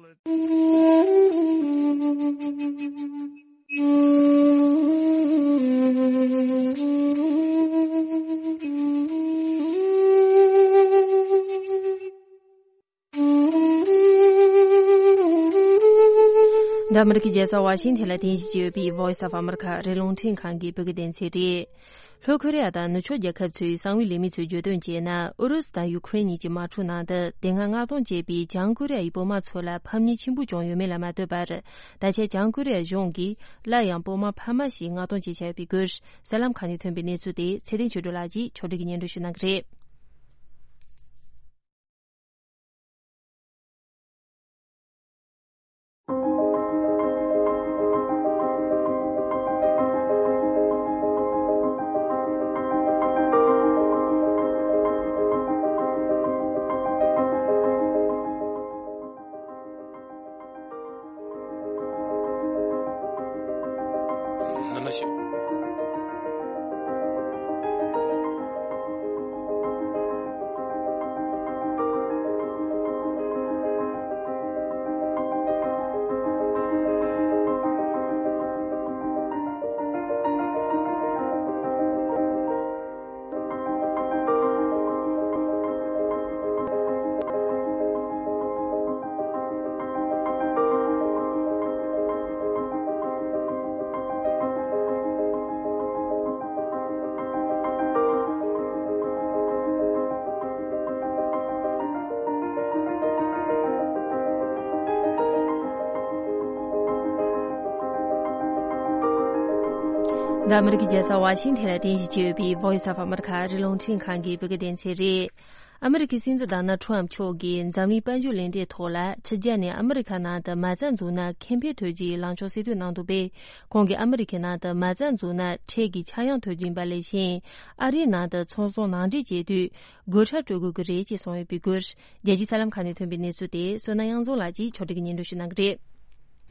འདི་ཨ་མི་རི་ཀའི་རྒྱལ་ས་ཝ་ཤིང་ཐན་ལ་རྟེན་གཞི་བྱས་ཡོད་པའི་Voice of America ཨ་རིའི་རླུང་འཕྲིན་ཁང་གི་བོད་སྐད་སྡེ་ཚན་རེད། ལྷོ་ཁོ་རེ་ཡ་དང་ནུབ་ཕྱོགས་རྒྱལ་ཁབ་ཚོའི་གསང་བའི་ལས་མི་ཚོས་བརྗོད་དོན་བྱས་ན། ཨུ་རུ་སུ་དང་ཡུ་ཁུ་རེན་གཉིས་ཀྱི་དམག་འཁྲུག་ནང་དུ་དེ་སྔ་མངགས་གཏོང་བྱས་པའི་བྱང་ཀོ་རི་ཡ་ཡི་དཔོན་དམག་ཚོ་ལ་ཕམ་ཉེས་ཆེན་པོ་བྱུང་ཡོད་མེད་ལ་མ་ལྟོས་པར། ད་ཆ་བྱང་ཀོ་རི་ཡ་གཞུང་གིས་སླར་ཡང་དཔོན་དམག་འཕར་མ་ཞིག་མངགས་གཏོང་བྱེད་འཆར་ཡོད་པའི་སྐོར། གསར་ལམ་ཁག་ནས་ཐོན་པའི་གནས་ཚུལ་དེ་ཚེ་བརྟན་ཆོས་སྒྲོན་ལགས་ཀྱིས་ཕྱོགས་སྒྲིག་གིས་སྙན་སྒྲོན་ཞུ་གནང་གི་རེད། འདི་ཨ་མི་རི་ཀའི་རྒྱལ་ས་ཝ་ཤིང་ཐན་ལ་རྟེན་གཞི་བྱས་ཡོད་པའི་Voice of America ཨ་རིའི་རླུང་འཕྲིན་ཁང་གི་བོད་སྐད་སྡེ་ཚན་རེད། ཨ་མི་རི་ཀའི་སྲིད་འཛིན་ཌོ་ནལ་ཁྲམ་མཆོག་གིས་འཛམ་གླིང་དཔལ་འབྱོར་གླེང་སྟེགས་ཐོག་ལ་ཕྱི་རྒྱལ་ནས་ཨ་མི་རི་ཁ་ནང་དུ་མ་རྩ་འཛུགས་ན་ཁེ་ཕན་ཐོབ་རྒྱུའི་ལངས་ཕྱོགས་གསལ་སྟོན་གནང་འདུག་པས། ཁོང་གིས་ཨ་མི་རི་ཁའི་ནང་དུ་མ་རྩ་འཛུགས་ན་ཁྲལ་གྱི་ཆག་ཡང་ཐོབ་རྒྱུ་ཡིན་པ་ལས་གཞན། ཨ་རིའི་ནང་དུ་ཚོང་ཟོང་ནང་འདྲེན་བྱེད་དུས་སྒོ་ཁྲལ་སྤྲོད་དགོས་ཀྱི་རེད་ཅེས་གསུངས་ཡོད་པའི་སྐོར། རྒྱལ་སྤྱིའི་གསར་ལམ་ཁག་ནས་ཐོན་པའི་གནས་ཚུལ་དེ་བསོད་ནམས་དབྱངས་འཛོམས་ལགས་ཀྱིས་ཕྱོགས་སྒྲིག་གིས་སྙན་སྒྲོན་ཞུ་གནང་གི་རེད།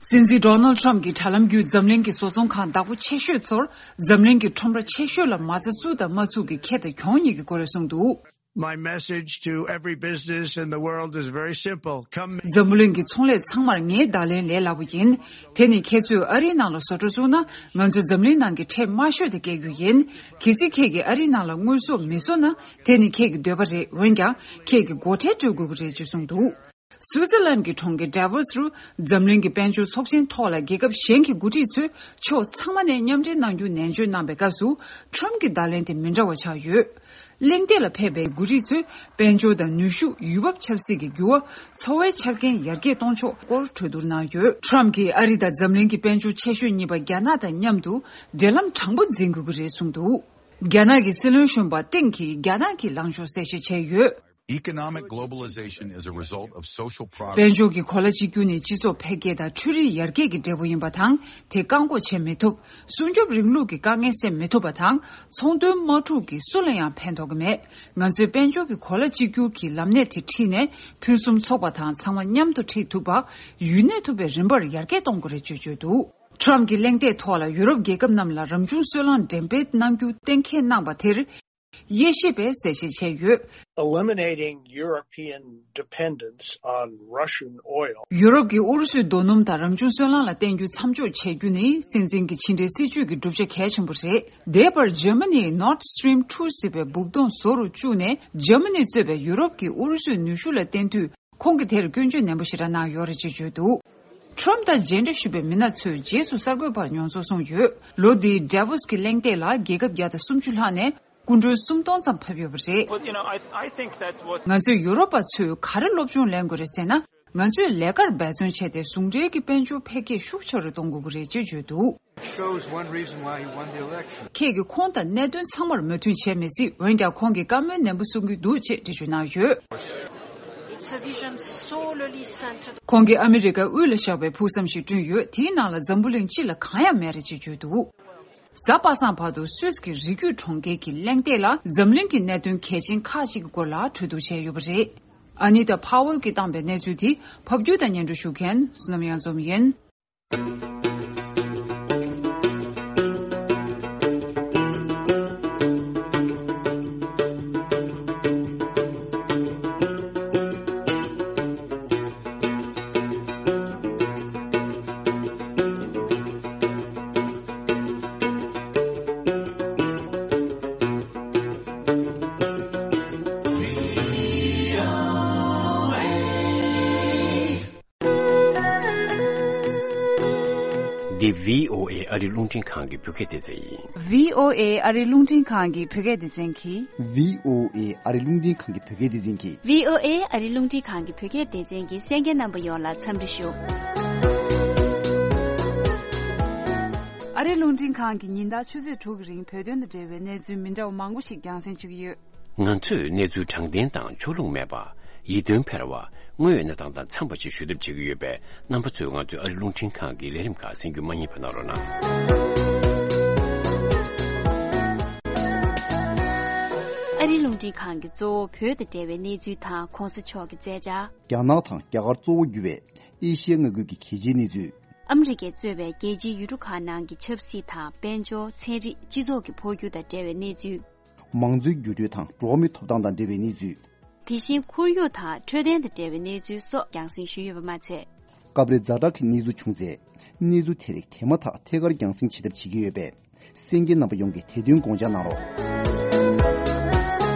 སྲིད་འཛིན་ཌོ་ནལ་ཁྲམ་གྱིས་དྲ་ལམ་བརྒྱུད་འཛམ་གླིང་གི་བཟོ་ཚོང་ཁང་བདག་པོ་ཆེ་ཤོས་ཚོར་འཛམ་གླིང་གི་ཁྲོམ་ར་ཆེ་ཤོས་ལ་མ་རྩ་བཙུགས་དང་མ་བཙུགས་ཀྱི་ཁེ་དང་གྱོང་གཉིས་ཀྱི་སྐོར་གསུངས་འདུག། My message to every business in the world is very simple. Come འཛམ་བུ་གླིང་གི་ཚོང་ལས་ཚང་མར་ངའི་བརྡ་ལན་ལས་སླ་པོ་ཡིན། དེ་ནི་ཁྱེད་ཚོས་ཨ་རིའི་ནང་ལ་བཟོ་གྲྭ་བཙུགས་ན་ང་ཚོས་འཛམ་གླིང་ནང་གི་ཁྲལ་དམའ་ཤོས་དེ་བཀལ་རྒྱུ་ཡིན། གལ་སྲིད་ཁྱེད་ཀྱིས་ཨ་རིའི་ནང་ལ་དངོས་ཟོག་མི་བཟོ་ན་དེ་ནི་ཁྱེད་ཀྱི་འདོད་པ་རེད། འོན་ཀྱང་ཁྱེད་ཀྱིས་སྒོ་ཁྲལ་སྤྲོད་དགོས་ཀྱི་རེད་ཅེས་གསུངས་འདུག། སུའུ་ཙི་ལན་གྱི་གྲོང་ཁྱེར་ཌ་ཝོ་སི་རུ་འཛམ་གླིང་གི་དཔལ་འབྱོར་ཚོགས་ཆེན་ཐོག་ལ་རྒྱལ་ཁབ་གཞན་གྱི་འགོ་ཁྲིད་ཚོས་ཕྱོགས་ཚང་མ་ནས་མཉམ་འབྲེལ་གནང་རྒྱུ་ནན་བརྗོད་གནང་པའི་སྐབས་སུ་ཁྲམ་གྱི་བརྡ་ལན་དེ་མི་འདྲ་བ་ཆགས་ཡོད། གླེང་སྟེགས་ལ་ཕེབས་པའི་འགོ་ཁྲིད་ཚོས་དཔལ་འབྱོར་དང་ནུས་ཤུགས། ཡུལ་བབ་ཆབ་སྲིད་ཀྱི་འགྱུར་བ། འཚོ་བའི་ཆ་རྐྱེན་ཡར་རྒྱས་གཏོང་ཕྱོགས་སྐོར་གྲོས་བསྡུར་གནང་ཡོད། ཁྲམ་གྱིས་ཨ་རི་དང་འཛམ་གླིང་གི་དཔལ་འབྱོར་ཆེ་ཤོས་གཉིས་པ་རྒྱ་ནག་དང་མཉམ་དུ་འབྲེལ་ལམ་དྲང་པོ་འཛིན་དགོས་ཀྱི་རེད་གསུངས་འདུག། རྒྱ་ནག་གི་སྲིད་བློན་གཞོན་པ་ཏེང་གིས་རྒྱ་ནག་གི་ལངས་ཕྱོགས་གསལ་བཤད་བྱས་ཡོད། Economic globalization is a result of social progress. དཔལ་འབྱོར་གྱི་གོ་ལ་གཅིག་གྱུར་ནི་སྤྱི་ཚོགས་འཕེལ་རྒྱས་དང་འཕྲུལ་རིག་ཡར་རྒྱས་ཀྱི་འབྲས་བུ་ཡིན་པ་དང་། དེ་བཀག་འགོག་བྱེད་མི་ཐུབ། སྲུང་སྐྱོབ་རིང་ལུགས་ཀྱི་དཀའ་ངལ་སེལ་མི་ཐུབ་པ་དང་། ཚོང་དོན་དམག་འཁྲུག་གིས་སུ་ལ་ཡང་ཕན་ཐོགས་ཀྱི་མེད། ང་ཚོས་དཔལ་འབྱོར་གྱི་གོ་ལ་གཅིག་གྱུར་གྱི་ལམ་སྣེ་དེ་ཁྲིད་ནས་ཕུན་སུམ་ཚོགས་པ་དང་ཚང་མ་མཉམ་དུ་ཁྲིད་ཐུབ་པ། ཡུན་གནས་ཐུབ་པའི་རིམ་པར་ཡར་རྒྱས་གཏོང་དགོས་རེད་ཅེས་བརྗོད་འདུག། ཁྲམ་གྱི་གླེང་སྟེགས་ཐོག་ལ་ཡུ་རོབ་རྒྱལ་ཁབ་རྣམས་ལ་རང་བྱུང་སོལ་རླངས་འགྲེམས་སྤེལ་གནང་རྒྱུ་གཏན་འཁེལ་གནང་པ་དེར། དབྱེ་ཞིབ་པས་གསལ་བཤད་བྱས་ཡོད། Eliminating European dependence on Russian oil. ཡུ་རོབ་ཀྱི་ཨུ་རུ་སུའི་རྡོ་སྣུམ་དང་རང་བྱུང་སོལ་རླངས་ལ་བརྟེན་རྒྱུ་མཚམས་འཇོག་བྱེད་རྒྱུ་ནི་སྲིད་འཛིན་གྱི་ཕྱི་འབྲེལ་སྲིད་ཇུས་ཀྱི་བསྒྲུབ་བྱ་གལ་ཆེན་པོ་རེད། འདས་པར་འཇར་མ་ནིས་Nord Stream two ཟེར་བའི་སྦུག་དོང་བཟོ་རུ་བཅུག་ནས་འཇར་མ་ནིས་གཙོས་པའི་ཡུ་རོབ་ཀྱིས་ཨུ་རུ་སུའི་ནུས་ཤུགས་ལ་བརྟེན་དུས། ཁོང་གིས་དེར་སྐྱོན་བརྗོད་ནན་པོ་ཞེ་དྲག་གནང་ཡོད་རེད་ཅེས་བརྗོད་འདུག། ཁྲོམ་དང་མཇལ་འཕྲད་ཞུས་པའི་མི་སྣ་ཚོས་རྗེས་སུ་གསར་འགོད་པར་མྱོང་ཚོར་གསུངས་ཡོད། ལོ་འདིའི་ཌ་ཝོ་སི་གི་གླེང་སྟེགས་ལ་རྒྱལ་ཁབ་བརྒྱ་དང་སུམ་ཅུ་ལྷག་ནས་སྐུ་མགྲོན་སུམ་སྟོང་ཙམ་ཕེབས་ཡོད་པ་རེད། Well, you know, I, I think that what ང་ཚོས་ཡུ་རོབ་པ་ཚོས་ག་རེ་སློབ་སྦྱོང་ལེན་དགོས་རེད་ཟེར་ན། ང་ཚོས་ལས་ཀར་འབད་བརྩོན་བྱས་ཏེ་ཟུང་འབྲེལ་གྱི་དཔལ་འབྱོར་འཕེལ་རྒྱས་ཤུགས་ཆེ་རུ་གཏོང་དགོས་ཀྱི་རེད་ཅེས་བརྗོད་འདུག། Shows one reason why he won the election. ཁྱེད་ཀྱིས་ཁོང་དང་གནད་དོན་ཚང་མར་མོས་མཐུན་བྱས་མི་སྲིད། འོན་ཀྱང་ཁོང་གིས་བཀའ་མོལ་ནན་པོ་གསུང་གི་འདུག་ཅེས་འགྲེལ་བརྗོད་གནང་ཡོད། It's a vision solely centered. ཁོང་གིས་ཨ་མི་རི་ཀ་དབུས་ལ་བཞག་པའི་ཕུགས་བསམ་ཞིག་བསྐྲུན་ཡོད། དེའི་ནང་ལ་འཛམ་བུ་གླིང་སྤྱི་ལ་གང་ཡང་མེད་རེད་ཅེས་བརྗོད་འདུག། གཟའ་པ་སངས་བར་དུ་སུད་སི་གི་རི་རྒྱུད་གྲོང་ཁྱེར་གྱི་གླེང་སྟེགས་ལ་འཛམ་གླིང་གི་གནད་དོན་གལ་ཆེན་ཁག་ཅིག་གི་སྐོར་ལ་གྲོས་བསྡུར་བྱས་ཡོད་པ་རེད། ཨ་ནི་ཏཱ་ཕ་ཝེལ་གྱིས་བཏང་པའི་གནས་ཚུལ་དེ་ཕབ་སྒྱུར་དང་སྙན་སྒྲོན་ཞུ་མཁན་བསོད་ནམས་དབྱངས་འཛོམས་ཡིན། འདི་བྷི་ཨོ་ཨེ་ཨ་རི་རླུང་འཕྲིན་ཁང་གི་བོད་སྐད་སྡེ་ཚན་ཡིན། བྷི་ཨོ་ཨེ་ཨ་རི་རླུང་འཕྲིན་ཁང་གི་བོད་སྐད་སྡེ་ཚན་གྱིས། བྷི་ཨོ་ཨེ་ཨ་རི་རླུང་འཕྲིན་ཁང་གི་བོད་སྐད་སྡེ་ཚན་གྱིས། བྷི་ཨོ་ཨེ་ཨ་རི་རླུང་འཕྲིན་ཁང་གི་བོད་སྐད་སྡེ་ཚན་གྱི་གསན་མཁན་རྣམ་པ་ཡོངས་ལ་འཚམས་འདྲི་ཞུ། ཨ་རི་རླུང་འཕྲིན་ཁང་གི་ཉིན་ལྟར་ཆུ་ཚོད་དྲུག་གི་རིང་བོད་དོན་དང་འབྲེལ་བའི་གནས་ཚུལ་མི་འདྲ་བ་མང་པོ་ཞིག་རྒྱང་སྲིང་ཞུ་གི་ཡོད། ང་ཚོས་གནས་ཚུལ་དྲང་བདེན་དང་ཕྱོགས་ལྷུང་མེད་པ། ཡིད་རྟོན་འཕེར་བ། དངོས་ཡོད་གནས་སྟངས་དང་འཚམས་པ་ཞིག་ཞུ་ཐབས་བྱེད་ཀྱི་ཡོད་པས། རྣམ་པ་ཚོས་ང་ཚོའི་ཨ་རི་རླུང་འཕྲིན་ཁང་གི་ལས་རིམ་ཁག་གསན་རྒྱུ་མ་བསྙེལ་བ་གནང་རོགས་གནང་། ཨ་རིའི་རླུང་འཕྲིན་ཁང་གིས་གཙོ་བོ་བོད་དང་འབྲེལ་བའི་གནས་ཚུལ་དང་གོང་ས་མཆོག་གི་མཛད་འཆར། རྒྱ་ནག་དང་རྒྱ་གར་གཙོ་བོ་གྱུར་བའི་ཨེ་ཤི་ཡ་མངའ་ཁུལ་གྱི་གལ་ཆེའི་གནས་ཚུལ། ཨ་མི་རི་ཀས་གཙོས་པའི་རྒྱལ་སྤྱིའི་ཡུལ་གྲུ་ཁག་ནང་གི་ཆབ་སྲིད་དང་དཔལ་འབྱོར། ཚན་རིག་སྤྱི་ཚོགས་ཀྱི་འཕོ་འགྱུར་དང་འབྲེལ་བའི་གནས་ཚུལ། མང་གཙོའི་འགྱུར་འགྲོས་དང་འགྲོ་བ་མིའི་ཐོབ་ཐང་དང་འབྲེལ་བའི་གནས་ཚུལ། དེ་བཞིན་ཁོར་ཡུག་དང་འཕྲོད་བསྟེན་དང་འབྲེལ་བའི་གནས་ཚུལ་སོགས་རྒྱང་སྲིང་ཞུས་ཡོད་པ་མ་ཚད། སྐབས་རེ་ཛ་དྲག་གི་གནས་ཚུལ་བྱུང་ཚེ། གནས་ཚུལ་དེ་རིགས་དེ་མ་ཐག་ཐད་ཀར་རྒྱང་སྲིང་བྱེད་ཐབས་བྱེད་ཀྱི་ཡོད་པས། གསན་མཁན་རྣམ་པ་ཡོངས་ཀྱིས་དེ་དོན་དགོངས་འཇགས་གནང་རོགས།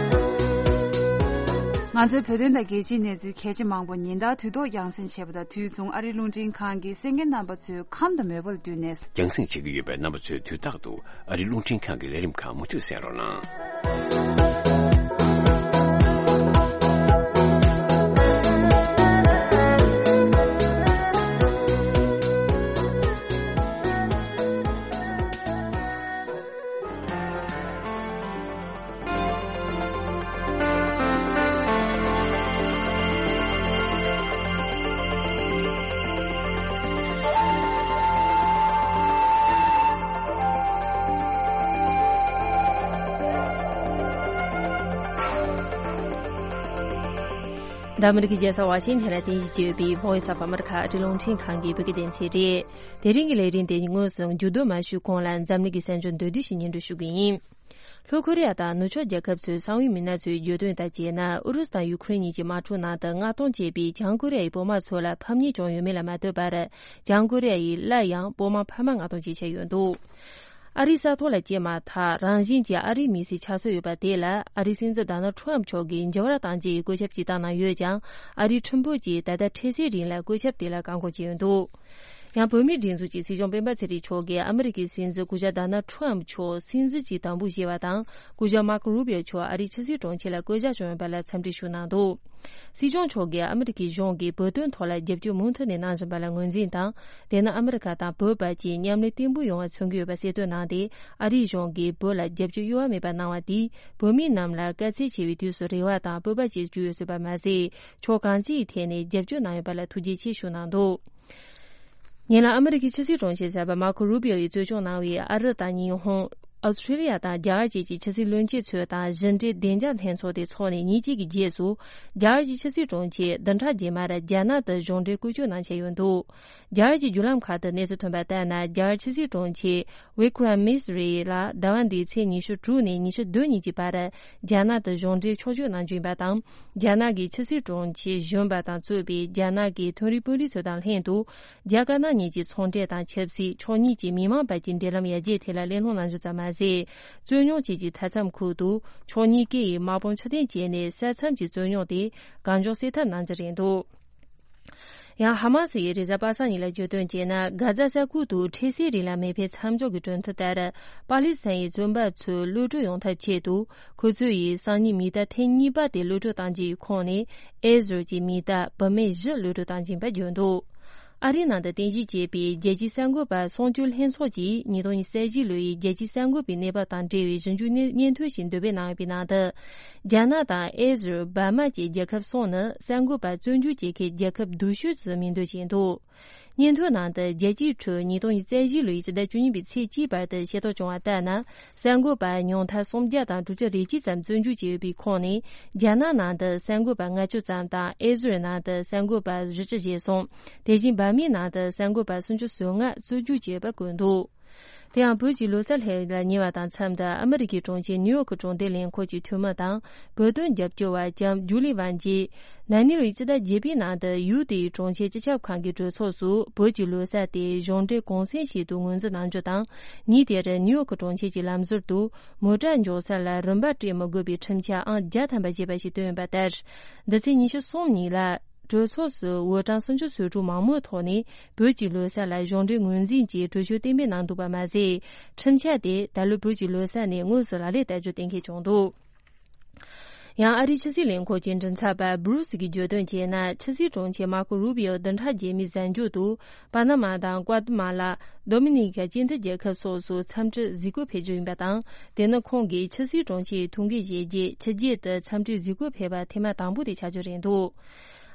ང་ཚོའི་བོད་དོན་དང་རྒྱལ་སྤྱིའི་གནས་ཚུལ་གལ་ཆེ་མང་པོ་ཉིན་ལྟར་དུས་ཐོག་རྒྱང་སྲིང་བྱེད་པ་དང་དུས་མཚུངས་ཨ་རིའི་རླུང་འཕྲིན་ཁང་གིས་གསན་མཁན་རྣམ་པ་ཚོའི་ཁམས་དང་མོས་པ་ལ་བསྟུན་ནས། རྒྱང་སྲིང་བྱེད་ཀྱི་ཡོད་པས་རྣམ་པ་ཚོས་དུས་རྟག་ཏུ་ཨ་རིའི་རླུང་འཕྲིན་ཁང་གི་ལས་རིམ་ཁག་མུ་མཐུད་གསན་རོགས་གནང་། འདི་ཨ་མི་རི་ཀའི་རྒྱལ་ས་ཝ་ཤིང་ཐན་ལ་རྟེན་གཞི་བྱས་ཡོད་པའི་Voice of America ཨ་རིའི་རླུང་འཕྲིན་ཁང་གི་བོད་སྐད་སྡེ་ཚན་རེད། དེ་རིང་གི་ལས་རིམ་དེ་དངོས་སུ་མཇུག་བསྡོམས་མ་ཞུས་གོང་ལ་འཛམ་གླིང་གི་གསར་འགྱུར་མདོར་བསྡུས་ཤིག་སྙན་སྒྲོན་ཞུ་གི་ཡིན། ལྷོ་ཁོ་རེ་ཡ་དང་ནུབ་ཕྱོགས་རྒྱལ་ཁབ་ཚོའི་གསང་བའི་མི་སྣ་ཚོའི་བརྗོད་དོན་ལྟར་བྱས་ན། ཨུ་རུ་སུ་དང་ཡུ་ཁུ་རེན་གཉིས་ཀྱི་དམག་འཁྲུག་ནང་དུ་མངགས་གཏོང་བྱས་པའི་བྱང་ཀོ་རི་ཡ་ཡི་བོད་དམག་ཚོ་ལ་ཕམ་ཉེས་བྱུང་ཡོད་མེད་ལ་མ་ལྟོས་པར། བྱང་ཀོ་རི་ཡ་ཡིས་སླར་ཡང་བོད་དམག་འཕར་མ་མངགས་གཏོང་བྱེད་འཆར་ཡོད་འདུག་ཨ་རིའི་ས་ཐོག་ལ་སྐྱེས་མ་ཐག་རང་བཞིན་གྱིས་ཨ་རིའི་མི་སེར་ཆགས་སྲོལ་ཡོད་པ་དེ་ལ། ཨ་རིའི་སྲིད་འཛིན་ཌོ་ནལ་ཁྲམ་མཆོག་གིས་འགྱུར་བ་གཏང་རྒྱུ་ཡི་བཀོད་ཁྱབ་ཅིག་བཏང་གནང་ཡོད་ཀྱང་། ཨ་རིའི་ཁྲིམས་དཔོན་གྱིས་ད་ལྟ་འཕྲལ་སེལ་རིང་ལ་བཀོད་ཁྱབ་དེ་ལ་བཀག་འགོག་བྱས་ཡོད་འདུག་ཡང་བོད་མིའི་སྒྲིག་འཛུགས་ཀྱི་སྲིད་སྐྱོང་སྤེན་པ་ཚེ་རིང་མཆོག་གིས་ཨ་མི་རི་ཀའི་སྲིད་འཛིན་སྐུ་ཞབས་ཌོ་ནལ་ཁྲམ་མཆོག་སྲིད་འཛིན་གྱི་དམ་འབུལ་བཞེས་པ་དང་། སྐུ་ཞབས་མར་ཀོ་རུ་བྷི་ཨོ་མཆོག་ཨ་རིའི་ཕྱི་སྲིད་དྲུང་ཆེ་ལ་བསྐོ་གཞག་བྱུང་ཡོད་པ་ལ་འཚམས་འདྲི་ཞུས་གནང་འདུག་སྲིད་སྐྱོང་མཆོག་གིས་ཨ་མི་རི་ཀའི་གཞུང་གིས་བོད་དོན་ཐོག་ལ་རྒྱབ་སྐྱོར་མུ་མཐུད་ནས་གནང་བཞིན་པ་ལ་ངོས་འཛིན་དང་། དེ་ནི་ཨ་མི་རི་ཀ་དང་བོད་བར་གྱི་མཉམ་ལས་བརྟན་པོ་ཡོང་བ་མཚོན་གྱི་ཡོད་པ་གསལ་སྟོན་གནང་སྟེ། ཨ་རིའི་གཞུང་གིས་བོད་ལ་རྒྱབ་སྐྱོར་གཡོ་བ་མེད་པ་གནང་བ་དེས། བོད་མི་རྣམས་ལ་དཀའ་ཚེགས་ཆེ་བའི་དུས་སུ་རེ་བ་དང་སྤོབས་པ་བསྐྱེད་རྒྱུ་ཡོད་སྲིད་པ་མ་ཟད། ཕྱོགས་གང་ཅིའི་ཐད་ནས་རྒྱབ་སྐྱོར་གནང་ཡོད་པ་ལ་ཐུགས་རྗེ་ཆེ་ཞུ་གནང་འདུག་ཉེ་ལམ་ཨ་མི་རི་ཀའི་ཕྱི་སྲིད་དྲུང་ཆེ་གསར་པ་མར་ཁོ་རུ་བྷི་ཨོ་ཡིས་གཙོ་སྐྱོང་གནང་བའི་ཨ་རི་དང་ཉི་ཧོང་། ཨོ་སི་ཁྲི་ལི་ཡ་དང་རྒྱ་གར་བཅས་ཀྱི་ཕྱི་སྲིད་བློན་ཆེན་ཚོས་དང་བཞི་འབྲེལ་བདེ་འཇགས་ལྷན་ཚོགས་དེ་འཚོགས་ནས་ཉིན་གཅིག་གི་རྗེས་སུ། རྒྱ་གར་གྱི་ཕྱི་སྲིད་དྲུང་ཆེས་བདུན་ཕྲག་རྗེས་མར་རྒྱ་ནག་ཏུ་གཞུང་འབྲེལ་སྐོར་སྐྱོད་གནང་འཆར་ཡོད་འདུག་རྒྱ་གར་གྱི་བརྒྱུད་ལམ་ཁག་ཏུ་གནས་ཚུལ་ཐོན་པ་ལྟར་ན། རྒྱ་གར་ཕྱི་སྲིད་དྲུང་ཆེ་ཝི་ཀྲམ་མི་སི་རི་ལ་ཟླ་བ་འདིའི་ཚེས་ཉི་ཤུ་དྲུག་ནས་ཉི་ཤུ་བདུན་ཉིན་གྱི་བར་རྒྱ་ནག་ཏུ་གཞུང་འབྲེལ་ཕྱོགས་བསྐྱོད་གནང་རྒྱུ་ཡིན་པ་དང་། རྒྱ་ནག་གི་ཕྱི་སྲིད་དྲུང་ཆེ་གཞོན་པ་དང་གཙོས་པའི་རྒྱ་ནག་གི་མཐོ་རིམ་དཔོན་རིགས་ཚོ་དང་ལྷན་དུ། རྒྱ་དཀར་ནག་གཉིས་ཀྱི་ཚོང་འབྲེལ་དང་ཆབ་སྲིད། ཕྱོགས་གཉིས་ཀྱི་མི་མང་བར་གྱི་འབྲེལ་ལམ་ཡར་རྒྱས་ཐད་ལ་གླེང་སློང་གནང་རྒྱུ་ཙམ་མ་ཟད། རྩོད་རྙོག་བཅས་ཀྱི་མཐའ་མཚམས་ཁུལ་དུ་ཕྱོགས་གཉིས་ཀས་དམག་དཔུང་ཕྱིར་འཐེན་བྱས་ནས་ས་མཚམས་ཀྱི་རྩོད་རྙོག་དེ་གང་མགྱོགས་སེལ་ཐབས་གནང་རྒྱུ་རེད་འདུག་ཡང་ཧ་མ་སི་ཡིས་རེས་གཟའ་པ་སངས་ཉིན་ལ་བརྗོད་དོན་བྱས་ན། གྷ་ཛ་ས་ཁུལ་དུ་འཕྲལ་སེལ་རིང་ལ་མེ་འཕེན་མཚམས་འཇོག་གི་གྲོས་མཐུན་ལྟར། པ་ལི་སི་ཐན་ཡི་བཙོན་པ་ཚོ་གློད་གྲོལ་ཡོང་ཐབས་ཆེད་དུ། ཁོ་ཚོ་ཡིས་སང་ཉིན་མི་གཏའ་ཐེངས་གཉིས་པ་དེ་གློད་གྲོལ་གཏང་རྒྱུ་ཡི་ཁོངས་ནས། ཨེ་ཟི་རལ་གྱི་མི་གཏའ་བུད་མེད་བཞི་གློད་གྲོལ་གཏང་རྒྱུ་ཡིན་པ་བརྗོད་འདུག་ཨ་རིའི་ནང་དུ་རྟེན་གཞི་བྱས་པའི་རྒྱལ་སྤྱིའི་གསར་འགོད་པ་སྲུང་སྐྱོབ་ལྷན་ཚོགས་ཀྱིས་ཉིས་སྟོང་ཉི་ཤུ་རྩ་བཞི་ལོ་ཡི་རྒྱལ་སྤྱིའི་གསར་འགོད་པའི་གནས་བབ་དང་འབྲེལ་བའི་ཞིབ་འཇུག་སྙན་སྙན་ཐོ་ཞིག་འདོན་སྤེལ་གནང་ཡོད་པའི་ནང་དུ། རྒྱ་ནག་དང་ཨེ་ཟི་རལ། འབར་མ་བཅས་རྒྱལ་ཁབ་གསུམ་ནི་གསར་འགོད་པ་བཙོན་འཇུག་བྱེད་མཁན་རྒྱལ་ཁབ་སྡུག་ཤོས་སུ་མིང་འདོན་བྱས་འདུག་སྙན་ཐོའི་ནང་དུ། རྒྱལ་སྤྱིའི་ཁྲོད་ཉིས་སྟོང་ཉི་ཤུ་རྩ་བཞི་ལོའི་ཕྱི་ཟླ་བཅུ་གཉིས་པའི་ཚེས་གཅིག་བར་དུ་ཤེས་རྟོགས་བྱུང་བ་ལྟར་ན། གསར་འགོད་པ་ཉུང་མཐར་སུམ་བརྒྱ་དང་དྲུག་ཅུ་རེ་གཅིག་ཙམ་བཙོན་འཇུག་བྱས་ཡོད་པའི་ཁོངས་ནས། རྒྱ་ནག་ནང་དུ་གསར་འགོད་པ་ལྔ་བཅུ་ཙམ་དང་། ཨེ་ཟི་རལ་ནང་དུ་གསར་འགོད་པ་བཞི་བཅུ་ཞེ་གསུམ། དེ་བཞིན་འབར་མའི་ནང་དུ་གསར་འགོད་པ་སུམ་ཅུ་སོ་ལྔ་བཙོན་འཇུག་བྱས་ཡོད་པ་བཀོད་འདུག་དེ་ཡང་བོད་ཀྱི་ལོ་གསར་སླེབས་ལ་ཉེ་བ་དང་མཚམས་དུ། ཨ་མི་རི་ཀའི་གྲོང་ཁྱེར་ནིའུ་ཡོག་གི་གྲོང་སྡེ་ལས་ཁུངས་ཀྱི་འཐུས་མི་དང་། བོད་དོན་རྒྱབ་སྐྱོར་བ་ལྕམ་ཇུ་ལི་ཝན་གྱིས། ན་ནིང་ལོའི་སྤྱི་ཟླ་བརྒྱད་པའི་ནང་དུ་ཡུལ་དེའི་གྲོང་ཁྱེར་སྤྱི་ཁྱབ་ཁང་གི་གྲོས་ཚོགས་སུ། བོད་ཀྱི་ལོ་གསར་དེ་གཞུང་འབྲེལ་གུང་སེང་ཞིག་ཏུ་ངོས་འཛིན་གནང་རྒྱུ་དང་། ཉིན་དེར་ནིའུ་ཡོག་གི་གྲོང་ཁྱེར་གྱི་ལམ་ཟུར་དུ། མོ་ཊ་འཇོག་ས་ལ་རིན་པ་སྤྲད་མི་དགོས་པའི་ཁྲིམས་འཆར་ཨང་བརྒྱ་ཐམ་པ་ཞེས་པ་ཞིག་བཏོན་ཡོད་པ་ལྟར། འདི་ཚེས་ཉི་ཤུ་གསུམ་ཉིན་ལ། གྲོས་ཚོགས་སུ་འོས་གྲངས་སུམ་ཅུ་སོ་དྲུག་མང་མོས་ཐོག་ནས། བོད་ཀྱི་ལོ་གསར་ལ་གཞུང་འབྲེལ་ངོས་འཛིན་གྱིས་གྲོས་ཆོད་གཏན་འབེབས་གནང་འདུག་པ་མ་ཟད། ཁྲིམས་འཆར་དེ་ད་ལོ་བོད་ཀྱི་ལོ་གསར་ནས་དངོས་སུ་ལག་ལེན་བསྟར་རྒྱུ་གཏན་འཁེལ་བྱུང་འདུག་ཡང་ཨ་རིའི་ཕྱི་སྲིད་ལས་ཁུངས་ཀྱི་མགྲིན་ཚབ་པ་སྦུ་རུ་སི་གིས་བརྗོད་དོན་བྱས་ན། ཕྱི་སྲིད་དྲུང་ཆེ་མར་ཁོ་རུ་བི་ཨོ་བདུན་ཕྲག་རྗེས་མའི་གཟའ་མཇུག་ཏུ། པ་ན་མ་དང་ཀུ་ཨ་ཏི་མ་ལ། ཌོ་མི་ནི་ཀ་སྤྱི་མཐུན་རྒྱལ་ཁབ་སོགས་སུ་འཚམས་འདྲིར་གཟིགས་སྐོར་ཕེབས་རྒྱུ་ཡིན་པ་དང་། དེ་ནི་ཁོང་གིས་ཕྱི་སྲིད་དྲུང་ཆེའི་ཐུགས་འགན་བཞེས་རྗེས་ཕྱི་རྒྱལ་དུ་འཚམས་འདྲིར་གཟིགས་སྐོར་ཕེབས་པ་ཐེངས་མ་དང་པོ་དེ་ཆགས་རྒྱུ་རེད་འདུག་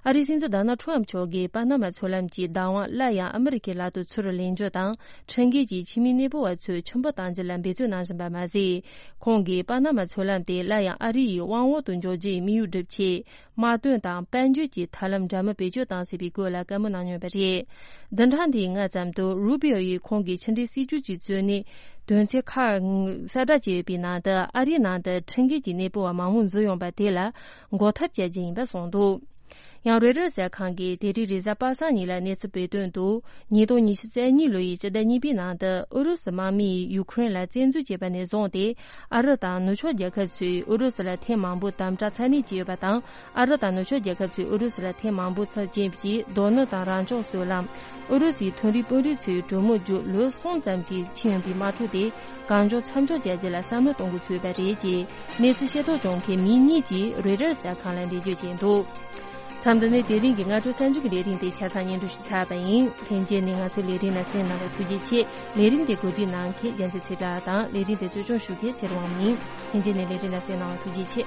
ཨ་རིའི་སྲིད་འཛིན་ཌོ་ནལ་ཁྲམ་མཆོག་གིས་པ་ན་མ་མཚོ་ལམ་གྱི་བདག་དབང་སླར་ཡང་ཨ་མི་རི་ཀའི་ལག་ཏུ་ཚུར་ལེན་རྒྱུ་དང་། ཁྲིམས་འགལ་གྱིས་ཕྱི་མི་གནས་སྤོ་བ་ཚོས་ཁྱིམ་སྤོ་གཏང་རྒྱུ་ལ་འབད་བརྩོན་གནང་བཞིན་པ་མ་ཟད། ཁོང་གིས་པ་ན་མ་མཚོ་ལམ་དེ་སླར་ཡང་ཨ་རི་ཡི་དབང་འོག་ཏུ་འཇོག་རྒྱུའི་དམིགས་ཡུལ་སྒྲུབ་ཆེད། དམག་དོན་དང་དཔལ་འབྱོར་གྱི་ཐབས་ལམ་འདྲ་མིན་བེད་སྤྱོད་བཏང་སྲིད་པའི་སྐོར་ལ་བཀའ་མོལ་གནང་མྱོང་བ་རེད། བདུན་ཕྲག་འདིའི་སྔ་ཙམ་དུ་རུ་བི་ཨོ་ཡིས་ཁོང་གི་ཕྱི་འབྲེལ་སྲིད་ཇུས་ཀྱི་གཙོ་གནད་དོན་ཚན་ཁག་གསལ་བསྒྲགས་བྱས་ཡོད་པའི་ནང་དུ། ཨ་རིའི་ནང་དུ་ཁྲིམས་འགལ་གྱིས་གནས་སྤོ་བ་མང་མོས་འཛུལ་ཡོང་པ་དེ་ལ་འགོག་ཐབས་བྱ་རྒྱུ་ཡིན་པ་གསུངས་འདུག་ཡང་རོའི་ཊར་གསར་ཁང་གིས་དེ་རིང་རེས་གཟའ་པ་སངས་ཉིན་ལ་གནས་ཚུལ་སྤེལ་དོན་དུ། ཉིས་སྟོང་ཉི་ཤུ་རྩ་གཉིས་ལོ་ཡི་སྤྱི་ཟླ་གཉིས་པའི་ནང་དུ་ཨུ་རུ་སུ་དམག་མིས་ཡུ་ཁུ་རེན་ལ་བཙན་འཛུལ་བྱས་པ་ནས་བཟུང་སྟེ། ཨ་རི་དང་ནུབ་ཕྱོགས་རྒྱལ་ཁབ་ཚོས་ཨུ་རུ་སུ་ལ་ཐེངས་མང་པོ་དམ་དྲག་ཚ་ནན་བྱས་ཡོད་པ་དང་། ཨ་རི་དང་ནུབ་ཕྱོགས་རྒྱལ་ཁབ་ཚོས་ཨུ་རུ་སུ་ལ་ཐེངས་མང་པོ་ཚབས་ཆེན་གྱི་རྡོ་སྣུམ་དང་རང་བྱུང་སོལ་རླངས། ཨུ་རུ་སུའི་མཐོ་རིམ་དཔོན་རིགས་ཚོའི་གྲོས་མོལ་བརྒྱུད་ལོ་གསུམ་ཙམ་གྱི་ཕྱིན་ཡོད་པའི་དམག་འཁྲུག་དེ་གང་མགྱོགས་མཚམས་འཇོག་བྱ་རྒྱུ་ལ་བསམ་བློ་གཏོང་འགོ་ཚུགས་ཡོད་པ་རེད་ཅེས། གནས་ཚུལ་ཤེས་རྟོགས་བྱུང་མཁན་མི་གཉིས་ཀྱིས་རོའི་ཊར་གསར་ཁང་ལ་འགྲེལ་བརྗོད་བྱས་འདུག་མཚམས་འདི་ནས་དེ་རིང་གི་སྔ་དྲོ་གསར་འགྱུར་གྱི་ལས་རིམ་དེ་ཆ་ཚང་སྙན་སྒྲོན་ཞུས་ཚར་བ་ཡིན། ལྷན་རྒྱས་ནས་ང་ཚོའི་ལས་རིམ་ལ་གསན་གནང་བར་ཐུགས་རྗེ་ཆེ། ལས་རིམ་དེ་གོ་སྒྲིག་གནང་མཁན་རྒྱལ་མཚན་ཚེ་བཀྲ་དང་། ལས་རིམ་དེ་གཙོ་སྐྱོང་ཞུ་མཁན་ཚེ་རིང་དབང་མོ་ཡིན། ལྷན་རྒྱས་ནས་ལས་རིམ་ལ་གསན་གནང་བར་ཐུགས་རྗེ་ཆེ།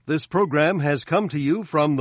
This program has come to you from the